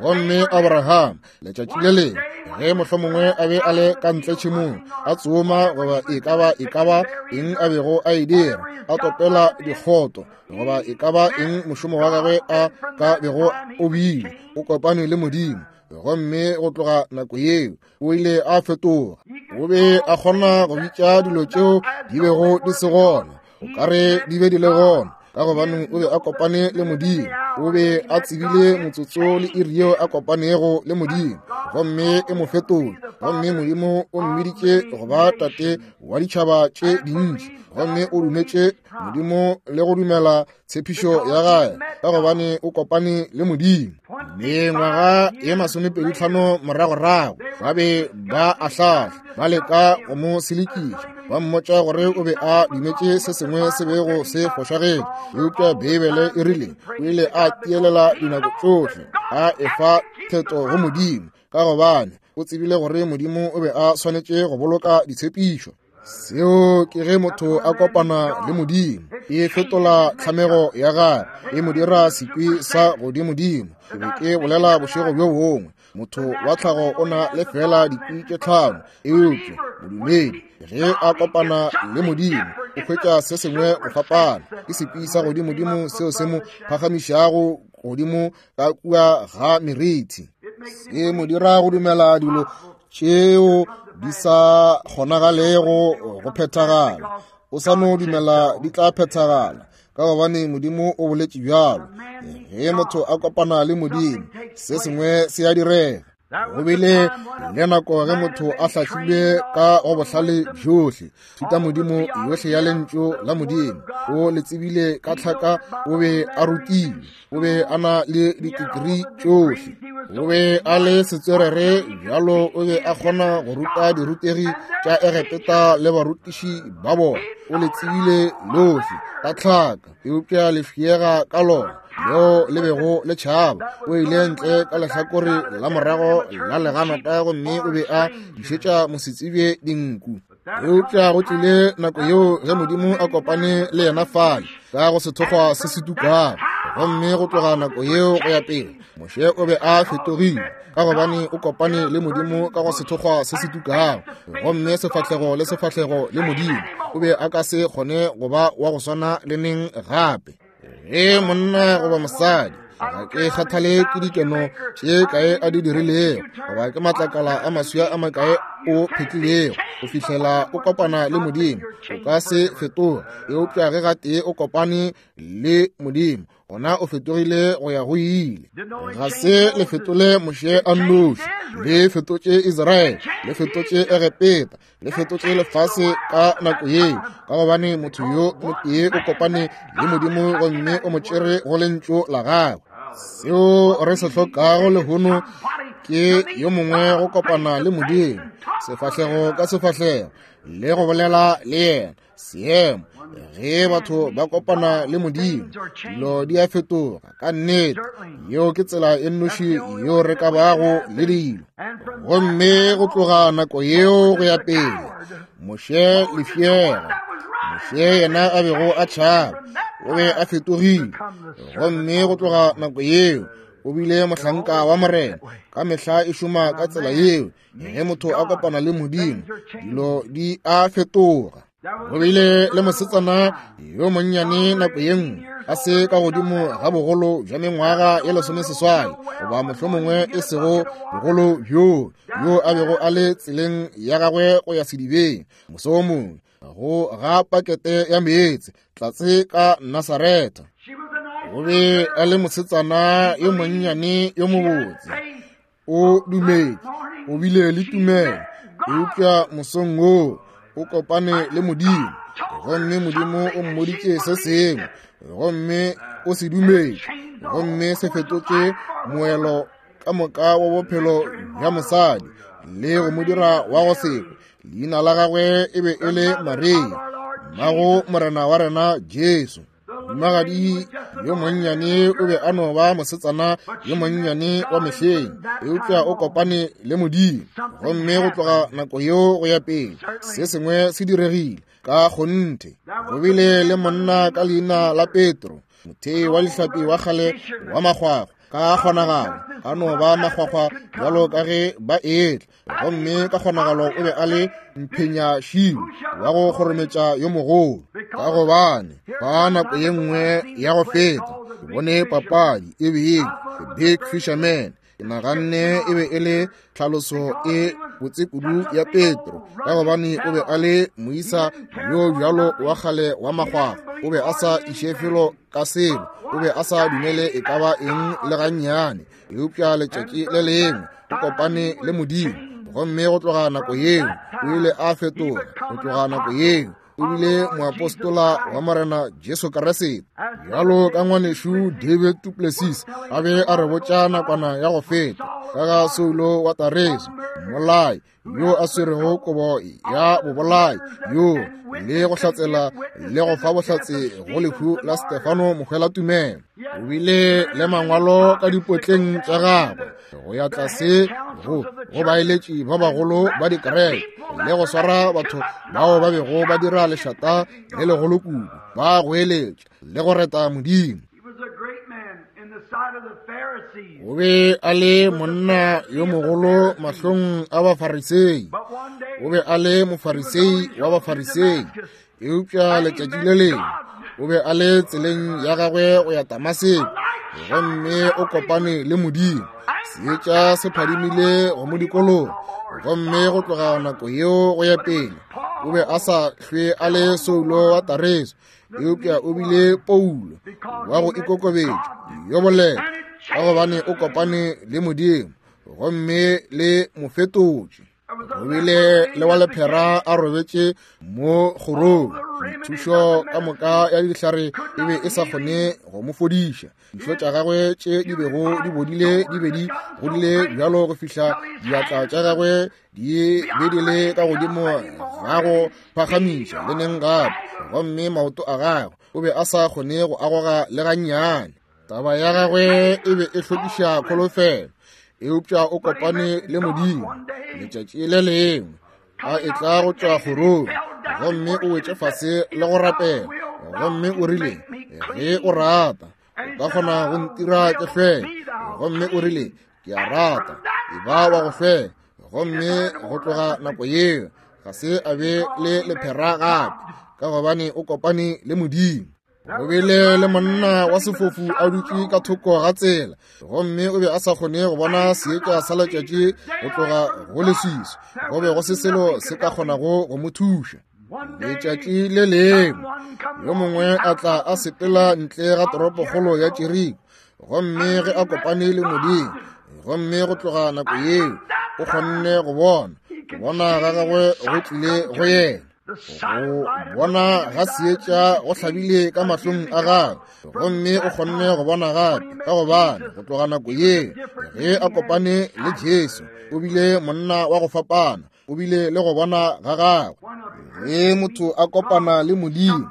Gomme Abraham letšatši le lengwe ge mohlomongwe a be a le ka ntle tšhemong a tsoma goba e ka ba e ka ba eng a bego a e dira, a topela dikgoto goba e ka ba eng mošomo wa gagwe a ka bego o bile, o kopane le Modimo, gomme go tloga nako yeo o ile a fetoga. O be a kgona go bitša dilo tšeo di bego di se gona, o ka re di be di le gona, ka gobane o be a kopane le Modimo. O be a tsebile motsotso le iri yeo a kopanego le Modimo, gomme e mo fetola. Gomme Modimo o mmiditše go ba tate wa ditšhaba tše dintši, gomme o dumetše Modimo le go dumela tshepišo ya gagwe, ka gobane o kopane le Modimo. Mengwaga ye masomepedi tlhano moragorago ba be ba ahlahla, ba leka go mo selekiša, ba mmotša gore o be a dumetše se sengwe se bego se fošagetše, eupša Beibele e rile o ile a tielela dinako tšohle, a efa theto go Modimo, ka gobane o tsebile gore Modimo o be a swanetše go boloka ditshepišo. Seo ke ge motho a kopana le Modimo, e fetola tlhamego ya gagwe, e mo dira sekwi sa godimodimo. Ke be ke bolela bošego bjo bongwe, motho wa tlhago o na le fela dikwi tše tlhano, eupša modumedi ge a kopana le Modimo o hwetša se sengwe go fapana. Ke sekwi sa godimodimo seo se mo phagamišago godimo ka kua ga meriti, se mo dira go dumela dilo tšeo di sa kgonagalego go phethagala. O sa no dumela di tla phethagala, ka gobane Modimo o boletše bjalo. Ge motho a kopana le Modimo, se sengwe se a direga. Go bile le nako ge motho a hlahlilwe ka go bohlale bjohle, thutamodimo yohle ya lentšu la Modimo, o le tsebile ka tlhaka, o be a rutilwe, o be a na le ditikrii tšohle, o be a le setswerere bjalo, o be a kgona go ruta dirutegi tša Egepeta le barutiši ba bona, o le tsebile lohle ka tlhaka, eupša le fiega ka lona leo le bego le tšhaba. O ile ntle ka lehlakore la morago la leganata gomme o be a dišetša mosetsebje dinku. Eupša go tlile nako yeo ge Modimo a kopane le yena fale ka go sethokgwa se se tukago, gomme go tloga nako yeo go ya pele Moshe o be a fetogile, ka gobane o kopane le Modimo ka go sethokgwa se se tukago, gomme sefahlego le sefahlego le Modimo. O be a ka se kgone go ba wa go swana le neng gape. Ge monna goba mosadi, ga ke kgathale ke dikeno tše kae a di dirilego, goba ke matlakala a maswia a makae o phetlilego, go fihlela o kopana le Modimo, o ka se fetoga. Eupša ge gatee o kopane le Modimo, gona o fetogile go ya go ile. Ga se le fetole Moshe a nnoši, le fetotše Israele, le fetotše Egepeta, le fetotše lefase ka nako yeo, ka gobane motho yo motee o kopane le Modimo gomme o mo tšere go lentšu la gagwe. Seo re se hlokago lehono ke yo mongwe go kopana le Modimo, sefahlego ka sefahlego, le go bolela le yena. Seemo ge batho ba kopana le Modimo, dilo di a fetoga ka nnete. Yeo ke tsela e nnoši yeo re ka bago le dilo. Gomme go tloga nako yeo go ya pele, Moshe lefšega, Moshe yena a bego a tšhaba, o be a fetogile. Gomme go tloga nako yeo o bile mohlanka wa Morena. Ka mehla e šoma ka tsela yeo. Ge motho a kopana le Modimo, dilo di a fetoga. Go bile le mosetsana yo monnyane nako ye nngwe, a se ka godimo ga bogolo bja mengwaga ye lesomeseswai, goba mohlomongwe e sego bogolo bjoo, yo a bego a le tseleng ya gagwe go ya sedibeng moso wo mongwe go ga pakete ya meetse tlatse ka Nasaretha. O be a le mosetsana yo monnyane yo mobotse. O dumetše, o bile le tumelo, eupša mosong woo o kopane le Modimo, gomme Modimo o mmoditše se sengwe, gomme o se dumetše, gomme se fetotše moelo ka moka wa bophelo bja mosadi le go mo dira wa go sekwe. Leina la gagwe e be e le Maria, mmago Morena wa rena Jesu. Mohumagadi yo monnyane o be a no ba mosetsana yo monnyane wa mehleng, eupša o kopane le Modimo, gomme go tloga nako yeo go ya pele se sengwe se diregile ka kgonthe. Go bile le monna ka leina la Petro, mothei wa dihlapi wa kgale wa makgwakgwa, ka kgonagalo a no ba makgwakgwa bjalo ka ge ba etla, gomme ka kgonagalo o be a le mphenyašilo wa go kgorometša yo mogolo, ka gobane ka nako ye nngwe ya go feta ke bone papadi e bile The Big Fisherman. Ke naganne e be e le tlhaloso e botse kudu ya Petro, ka gobane o be a le moisa yo bjalo wa kgale wa makgwakgwa, o be a sa iše felo ka selo, o be a sa dumele e ka ba eng le gannyane. Eupša letšatši le lengwe o kopane le Modimo, gomme go tloga nako yeo o ile a fetoga. Go tloga nako yeo o bile moapostola wa Morena Jesu Kriste. Bjalo ka ngwanešu David du Plessis a be a re botša nakwana ya go feta ka ga Saulo wa Tareso, mmolai yo a swerego kobo ya bobolai yo le go hlatsela le go fa bohlatse go lehu la Stefano mohwelatumelo. O bile le mangwalo ka dipotleng tša gagwe go ya tlase go go baeletši ba bagolo ba dikereke le go swara batho bao ba bego ba dira lešata le legolo kudu, ba goeletša le go reta Modimo. O be a le monna yo mogolo mahlong a Bafarisei. O be a le Mofarisei wa Bafarisei, eupša letšatši le lengwe o be a le tseleng ya gagwe go ya Damaseko, gomme o kopane le Modimo. Seetša se phadimile go mo dikologa, gomme go tloga nako yeo go ya pele o be a sa hlwe a le Saulo wa Tareso, eupša o bile Paulo wa go ikokobetša yo boleta, ka gobane o kopane le Modimo gomme le mo fetotše. Go bile le wa lephera a robetše mo kgorong. Thušo ka moka ya dihlare e be e sa kgone go mo fodiša. Dišo tša gagwe tše di bego di bodile di be di godile bjalo go fihla diatla tša gagwe di be di le ka godimo ga go phagamiša le neng gape, gomme maoto a gagwe o be a sa kgone go agoga le gannyane. Taba ya gagwe e be e hlokiša kholofelo, eupša o kopane le Modimo letšatši le lengwe a etla go tšwa kgorong, gomme o wetše fase le go rapela, gomme o rile, ge o rata o ka kgona go ntira ke hlweke. Gomme o rile, ke a rata, e ba wa go hlweka. Gomme go tloga nako yeo ga se a be le lephera gape, ka gobane o kopane le Modimo. Go bile le monna wa sefofu a dutše ka thoko ga tsela, gomme o be a sa kgone go bona seetša sa letšatši go tloga go leswiswi. Go be go se selo se ka kgonago go mo thuša. Letšatši le lengwe yo mongwe a tla a sepela ntle ga toropokgolo ya Jeriko, gomme ge a kopane le Modimo, gomme go tloga nako yeo o kgonne go bona. Go bona ga gagwe go tlile go yena. Go bona ga seetša go hlabile ka mahlong a gagwe, gomme o kgonne go bona gape, ka gobane go tloga nako yeo ge a kopane le Jesu o bile monna wa go fapana, o bile le go bona ga gagwe. Ge motho a kopana le Modimo,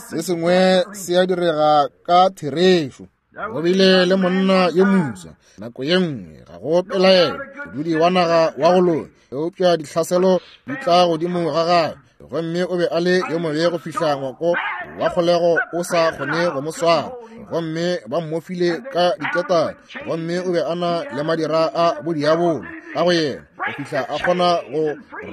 se sengwe se a direga ka therešo. Go bile le monna yo moswa nako ye nngwe, ga go pelaelo, modudi wa naga wa go loka, eupša dihlaselo di tla godimo ga gagwe, gomme o be a le yo mobe go fihla ngwako wa kgolego o sa kgone go mo swara, gomme ba mmofile ka diketane, gomme o be a na le madira a bodiabolo ka go yena go fihla a kgona go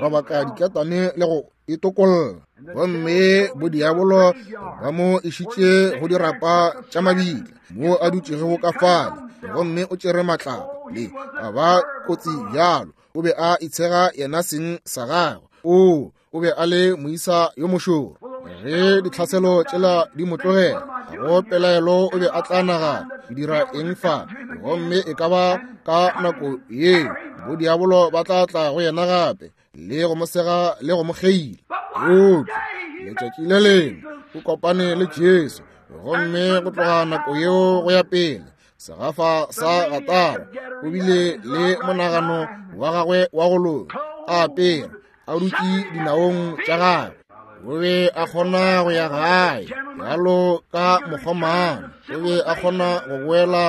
robaka diketane le go itokolla. Gomme bodiabolo ba mo išitše go dirapa tša mabitla mo a dutšego ka fale, gomme o tšere matlapa le a ba kotsi bjalo. O be a itshega yena seng sa gagwe. O o be a le moisa yo mošoro. Ge ditlhaselo tšela di mo tlogela, go pelaelo o be a tla nagana, ke dira eng fa? Gomme e ka ba ka nako yeo bodiabolo ba tla tla go yena gape le go mo sega le go mo kgeila. Eupša letšatši le lengwe o kopane le Jesu, gomme go tloga nako yeo go ya pele segafa sa gatara o bile le monagano wa gagwe wa go loka, a apere a dutše dinaong tša gagwe. O be a kgona go ya gae bjalo ka mokgomana, o be a kgona go boela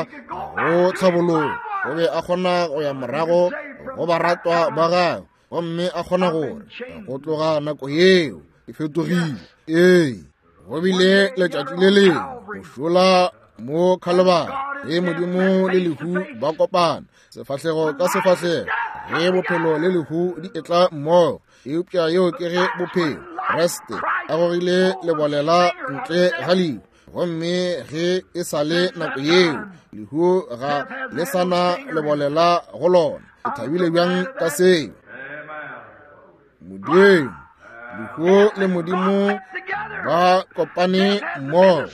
go tlhabologo, o be a kgona go ya morago go baratwa ba gagwe, gomme a kgona gore go tloga nako yeo e fetogile. Ee, go bile letšatši le lengwe go šola mo Khalibari ge Modimo le lehu ba kopana sefahlego ka sefahlego, ge bophelo le lehu di etla mmogo. Eupša yeo ke ge bophelo Kriste a gogile lebolela ntle ga lehu, gomme ge e sa le nako yeo lehu ga le sa na lebolela go lona. Ke thabile bjang ka seo. Modimo, lehu le Modimo ba kopane mmogo.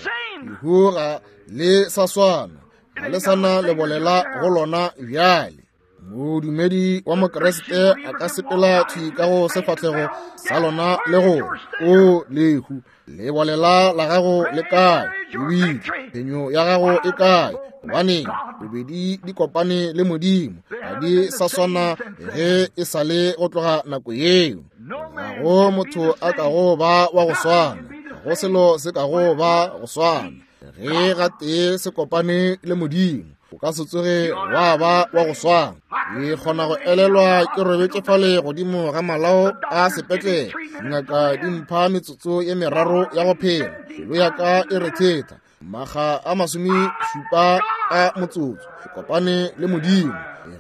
Lehu ga le sa swana, ga le sa na lebolela go lona bjale. Modumedi wa Mokriste a ka sepela thwi ka go sefahlego sa lona le go o lehu, lebolela la gago le kae? Lebitla, phenyo ya gago e kae? Gobane bobedi di kopane le Modimo, ga di sa swana ge e sa le go tloga nako yeo. Ga go motho a kago ba wa go swana, ga go selo se kago ba go swana ge gatee se kopane le Modimo. O ka se tsoge wa ba wa go swana. Ke kgona go elelwa ke robetše fale godimo ga malao a sepetlele, dingaka di mpha metsotso ye meraro ya go phela, pelo ya ka e rethetha makga a masome šupa a motsotso. Ke kopane le Modimo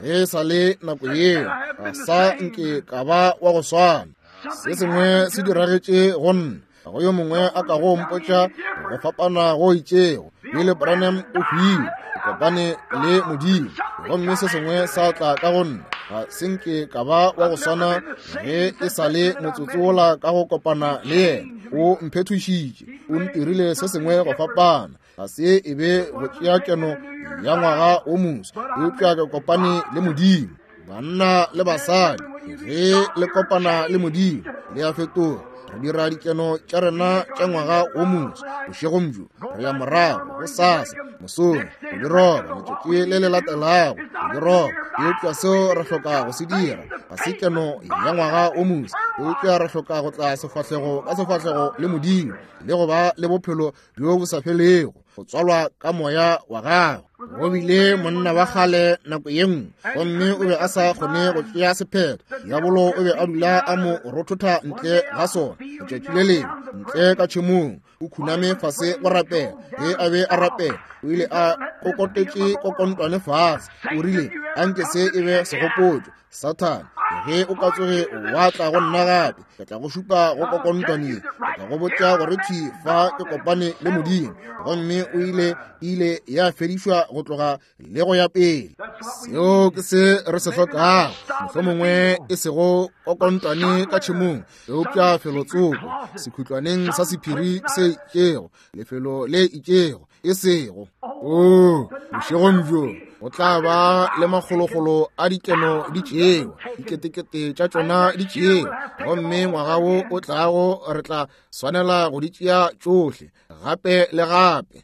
ge sa le nako yeo, ga sa nke ka ba wa go swana. Se sengwe se diragetše go nna, ga go yo mongwe a ka go mpotša go fapana go itšego. Billy Branham o hwile, ke kopane le Modimo, gomme se sengwe sa tla ka go nna. Ga se nke ka ba wa go swana ge e sa le motsotso wola ka go kopana le yena. O mphethošitše, o ntirile se sengwe go fapana. Ga se e be go tšea keno ya ngwaga o moswa, eupša ke kopane le Modimo. Banna le basadi, ge le kopana le Modimo, le a fetoga. Re dira dikeno tša rena tša ngwaga wo moswa bošegong bjo, re ya morago gosasa mosong go di roba, letšatši le le latelago go di roba. Eupša seo re hloka go se dira ga se keno ya ngwaga wo moswa, eupša re hloka go tla sefahlego ka sefahlego le Modimo le go ba le bophelo bjo bo sa felego, go tswalwa ka moya wa gagwe. Go bile monna wa kgale nako ye nngwe, gomme o be a sa kgone go tšea sephetho. Diabolo o be a dula a mo rothotha ntle ga sona. Letšatši le lengwe ntle ka tšhemong, o khuname fase go rapela. Ge a be a rapela, o ile a kokotetše kokontwane fase. O rile, anke se e be segopotšo, Sathane, ge o ka tsoge wa tla go nna gape, ke tla go šupa go kokontwane ye, ke tla go botša gore thwi fa ke kopane le Modimo. Gomme o ile ile ya fedišwa go tloga le go ya pele. Seo ke se re se hlokago, mohlomongwe e sego kokontwane ka tšhemong, eupša felotsoko sekhutlwaneng sa sephiri se itšego, lefelo le itšego, e sego. Oo, bošegong bjo go tla ba le makgolokgolo a dikeno di tšewa, diketekete tša tšona di tšewa, gomme ngwaga wo o tlago re tla swanela go di tšea tšohle gape le gape.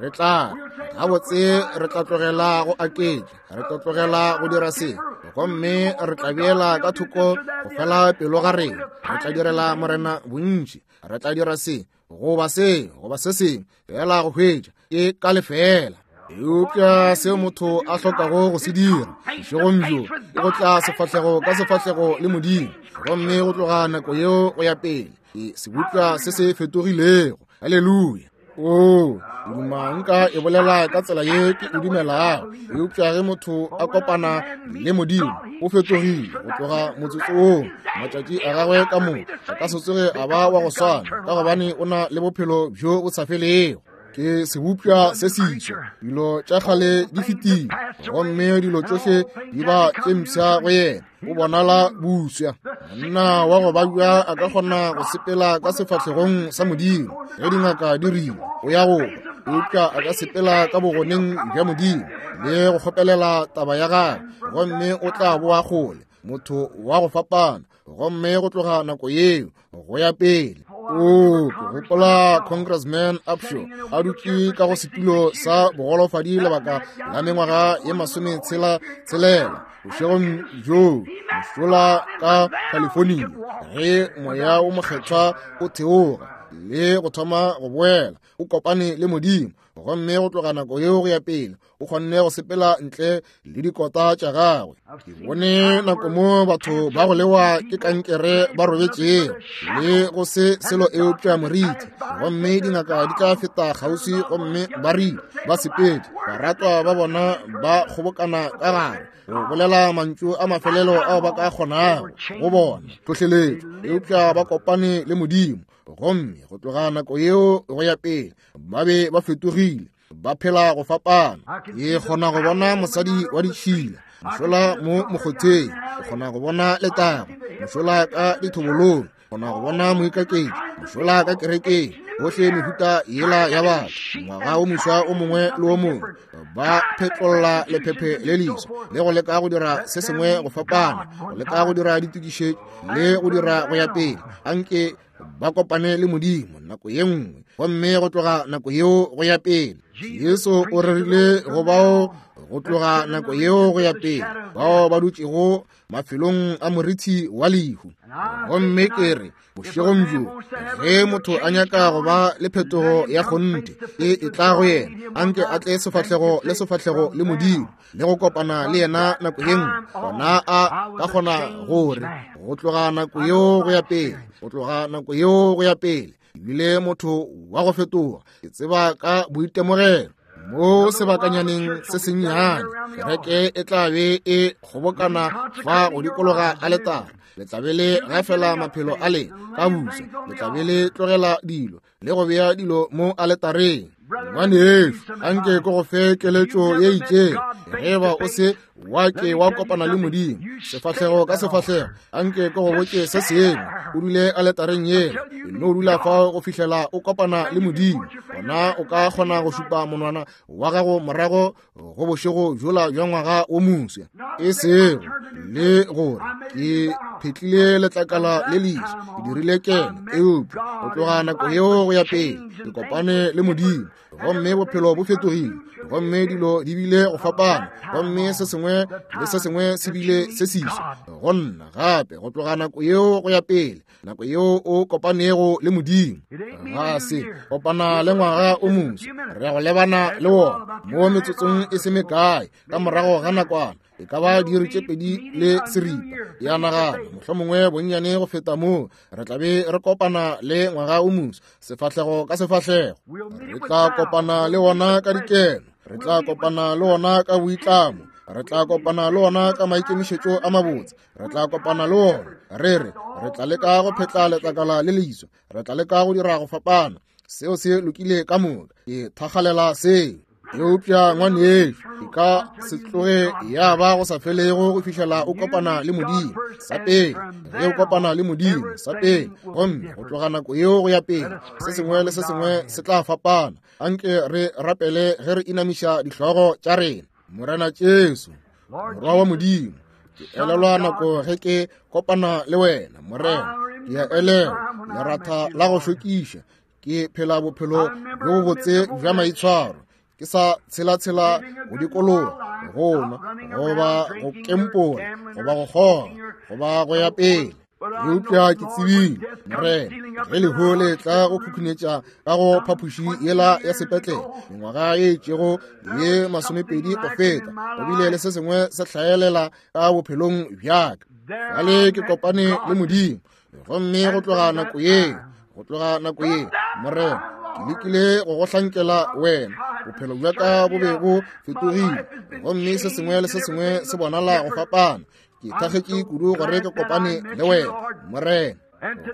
Re tla gabotse re tla tlogela go aketša, re tla tlogela go dira se, gomme re tla beela ka thoko go fela pelo ga rena. Re tla direla Morena bontši, re tla dira se goba se goba se sengwe, fela go hwetša ke ka lefela. Eupša seo motho a hlokago go se dira bošegong bjo ke go tla sefahlego ka sefahlego le Modimo, gomme go tloga nako yeo go ya pele ke sebopša se se fetogilego. Haleluya! Oo, ke duma nka e bolela ka tsela ye ke e dumelago, eupša ge motho a kopana le Modimo, o fetogile go tloga motsotso woo. Matšatši a gagwe ka moka a ka se tsoge a ba wa go swana, ka gobane o na le bophelo bjo bo sa felego. Ke sebopša se seswa, dilo tša kgale di fetile, gomme dilo tšohle di ba tše mpsha go yena. O bonala buswa. Monna wa go babja a ka kgona go sepela ka sefahlegong sa Modimo ge dingaka di rile o ya go hwa, eupša a ka sepela ka bogoneng bja Modimo le go kgopelela taba ya gagwe, gomme o tla boa kgole, motho wa go fapana, gomme go tloga nako yeo go ya pele. Oo, ke gopola Congressman Upshaw a dutše ka go setulo sa bogolofadi lebaka la mengwaga ye masometshela tshelela bošegong bjoo mošola ka California, ge moya wo mokgethwa o theoga le go thoma go boela, o kopane le Modimo, gomme go tloga nako yeo go ya pele o kgonne go sepela ntle le dikota tša gagwe. Ke bone nako mo batho ba go lewa ke kankere ba robetšego le go se selo eupša moriti, gomme dingaka di tla feta kgauswi gomme ba rile ba sepetše, baratwa ba bona ba kgobokana ka gare go bolela mantšu a mafelelo ao ba ka kgonago go bona tlhohleletšo, eupša ba kopane le Modimo, gomme go tloga nako yeo go ya pele ba be ba fetogile, ba phela go fapana. Ke kgona go bona mosadi wa ditšhila mošola mo mokgotheng, ke kgona go bona letago mošola ka dithobolong, kgona go bona moikaketši mošola ka kerekeng, bohle mehuta yela ya batho. Ngwaga o moswa o mongwe le o mongwe ba phetlolla lephephe le leswa le go leka go dira se sengwe go fapana, go leka go dira ditokišetšo le go dira go ya pele. Anke ba kopane le Modimo nako ye nngwe, gomme go tloga nako yeo go ya pele. Jesu o rerile go bao go tloga nako yeo go ya pele, bao ba dutšego mafelong a morithi wa lehu. Gomme ke re bošegong bjo, ge motho a nyaka go ba le phetogo ya kgonthe e e tla go yena, anke a tle sefahlego le sefahlego le Modimo le go kopana le yena nako ye nngwe, gona a ka kgona gore go tloga nako yeo go ya pele, go tloga nako yeo go ya pele, ebile motho wa go fetoga. Ke tseba ka boitemogelo mo sebakanyaneng se sennyane, kereke e tla be e kgobokana fa go dikologa aletara. Le tla be le gafela maphelo a lena ka busa, le tla be le tlogela dilo le go bea dilo mo aletareng. Ngwanešu, anke ke go fe keletšo ye itšego. Ge ba o se wa ke wa kopana le Modimo sefahlego ka sefahlego, anke ke go botše se sengwe. O dule aletareng yela, no dula fao go fihlela o kopana le Modimo. Gona o ka kgona go šupa monwana wa gago morago go bošego bjola bja ngwaga wo moswa, e sego le gore ke phetlile letlakala le leswa, ke dirile keno, eupša go tloga nako yeo go ya pele ke kopane le Modimo, gomme bophelo bo fetogile, gomme dilo di bile go fapana, gomme se sengwe le se sengwe se bile se seswa go nna gape go tloga nako yeo go ya pele. Nako yeo o kopanego le Modimo, ga se kopana le ngwaga o moswa, re ya go lebana le wona mo metsotsong e se mekae ka morago ga nakwana, e ka ba diiri tše pedi le seripa. Ya nagana mohlomongwe bonnyane go feta moo, re tla be re kopana le ngwaga o moswa sefahlego ka sefahlego. Re tla kopana le wona ka dikeno, re tla kopana le wona ka boitlamo, re tla kopana le wona ka maikemišetšo a mabotse, re tla kopana le wona re re re tla leka go phetla letlakala le leswa, re tla leka go dira go fapana. Seo se lokile ka moka, ke thakgalela seo. Eupša ngwanešo, e ka se tloge ya ba go sa felego go fihlela o kopana le Modimo sa pele. Ge o kopana le Modimo sa pele, gomme go tloga nako yeo go ya pele, se sengwe le se sengwe se tla fapana. Anke re rapele ge re inamiša dihlogo tša rena. Morena Jesu, Morwa wa Modimo, ke elelwa nako ge ke kopana le wena, Morena. Ke a elelwa leratha la go šokiša, ke phela bophelo bjo bobotse bja maitshwaro, ke sa tshela-tshela go dikologa, go nwa, goba go kempola, goba go kgoga, goba go ya pele. Eupša ke tsebile, Morena, ge lehu le tla go khukhunetša ka go phapoši yela ya sepetlele mengwaga ye itšego ye masomepedi go feta, go bile le se sengwe se hlaelela ka bophelong bjaka. Bjale ke kopane le Modimo, gomme go tloga nako ye, go tloga nako ye, Morena, ke lekile go go hlankela wena. Bophelo bja ka bo be bo fetogile, gomme se sengwe le se sengwe se bonala go fapana. Ke thakgetše kudu gore ke kopane le wena, Morena.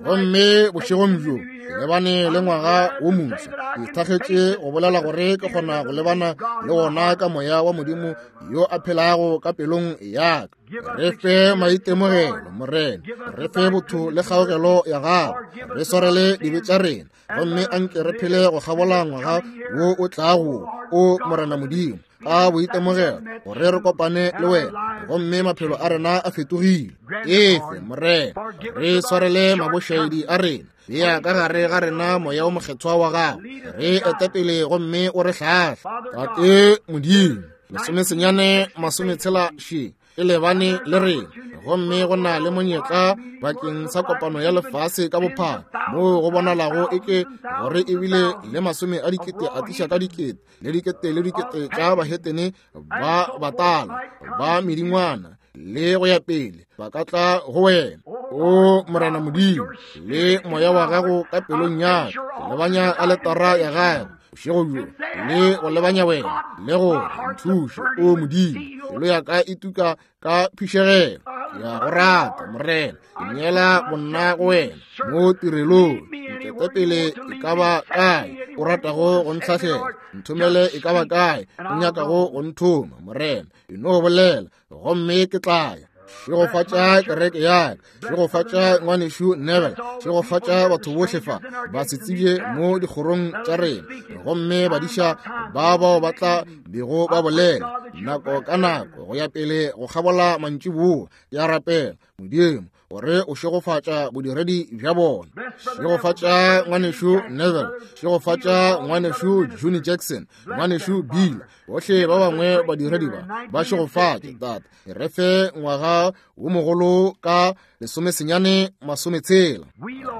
Gomme bošegong bjo ke lebane le ngwaga wo moswa. Ke thakgetše go bolela gore ke kgona go lebana le wona ka moya wa Modimo yo a phelago ka pelong ya ka. Re fe maitemogelo, Morena, re fe botho le kgaogelo ya gago, re swarele dibe tša rena, gomme anke re phele go kgabola ngwaga wo o tlago, o Morena Modimo, ka boitemogelo gore re kopane le wena, gomme maphelo a rena a fetogile. Efe, Morena, re swarele mabošaedi a rena, bea ka gare ga rena moya o mokgethwa wa gago, re etepele gomme o re hlahle. Tate Modimo, lesomesenyane masometshela še e lebane le rena, gomme go na le monyetla bakeng sa kopano ya lefase ka bophara moo go bonalago eke gore ebile le masome a dikete a tliša ka dikete le dikete le dikete tša bahetene ba batala ba medingwana le go ya pele ba ka tla go wena. O Morena Modimo, le moya wa gago ka pelong ya ka, lebanya aletara ya gago bošego bjo, le go lebanya wena, le go nthuše, o Modimo. Pelo ya ka e tuka ka phišegelo, ke a go rata, Morena. Ke neela bonna go wena mo tirelong. Nketepele e ka ba kae o ratago go ntlhahlela, nthomele e ka ba kae o nyakago go nthoma, Morena. E no bolela gomme ke tla ya. Šegofatša kereke ya ka, šegofatša ngwanešu Neville, šegofatša batho bohle fa ba se tsebje mo dikgorong tša rena, gomme badiša ba bao ba tla bego ba bolela nako ka nako go ya pele go kgabola mantšiboa. Ke a rapela, Modimo, gore o šegofatša bodiredi bja bona. Šegofatša ngwanešu Neville, šegofatša ngwanešu Juni Jackson, ngwanešu Bill, bohle ba bangwe badiredi ba ba šegofatše. Tate, re fe ngwaga wo mogolo ka lesomesenyane masometshela.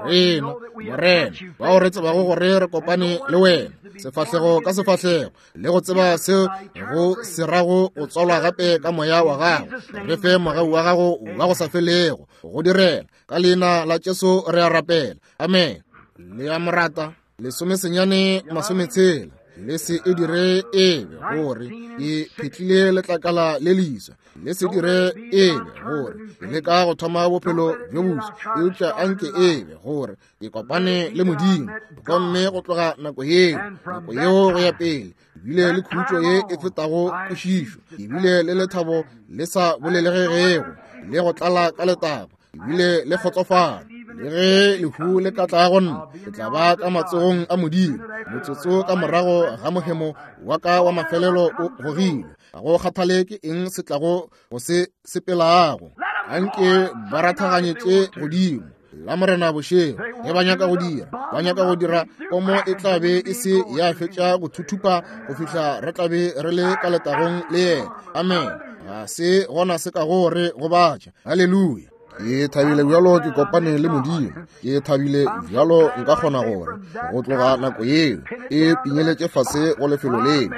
Rena, Morena, bao re tsebago gore re kopane le wena sefahlego ka sefahlego, le go tseba seo go se rago go tswalwa gape ka moya wa gago, re fe mogau wa gago wa go sa felego go direla. Ka leina la Jesu re a rapela, amen. Le a morata, lesomesenyane masometshela. Le se e dire e be gore ke phetlile letlakala le leswa. Le se dire e be gore ke leka go thoma bophelo bjo boswa, eupša anke e be gore ke kopane le Modimo. Gomme go tloga nako yeo, nako yeo go ya pele, ke bile le khutšo ye e fetago kwešišo, ke bile le lethabo le sa bolelegego, le go tlala ka letago, ke bile le kgotsofalo. Le ge lehu le ka tla go nna, ke tla ba ka matsogong a Modimo. Motsotso ka morago ga mohemo wa ka wa mafelelo o gogilwe, ga go kgathale ke eng se tlago go se sepelago. Anke ba rathaganyetše godimo la Morena bošego ge ba nyaka go dira, ba nyaka go dira pomo e tla be e se ya fetša go thuthupa go fihla re tla be re le ka letagong le yena. Amen. Ga se gona se ka go re gobatša. Haleluya. Ke thabile bjalo ke kopane le Modimo. Ke thabile bjalo nka kgona gore go tloga nako yeo e pinyeletše fase go lefelo leo.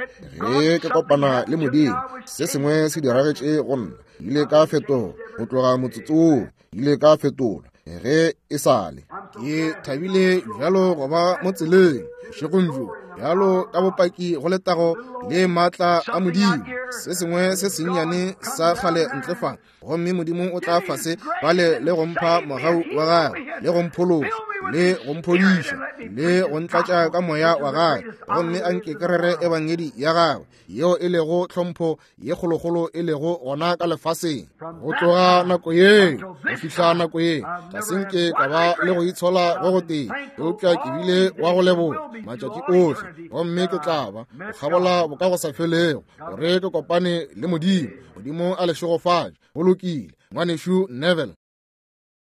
Ge ke kopana le Modimo, se sengwe se diragetše go nna. Ke ile ka fetoga go tloga motsotso woo, ke ile ka fetola ge e sale. Ke thabile bjalo go ba mo tseleng bošegong bjo, bjalo ka bopaki go letago le maatla a Modimo. Se sengwe se sennyane sa kgale ntle fa, gomme Modimo o tla fase fale le go mpha mogau wa gagwe, le go mphološa, le go mphodiša, le go ntlatša ka moya wa gagwe. Gomme anke ke rere ebangedi ya gagwe, yeo e lego tlhompho ye kgolokgolo e lego gona ka lefaseng. Go tloga nako yeo go fihla nako ye, ga se nke ka ba le go itshola go gotee, eupša ke bile wa go leboga matšatši ohle. Gomme ke tla ba go kgabola bokagosafelego gore ke kopane le Modimo. Modimo a le šegofatše. Go lokile, ngwanešu Neville.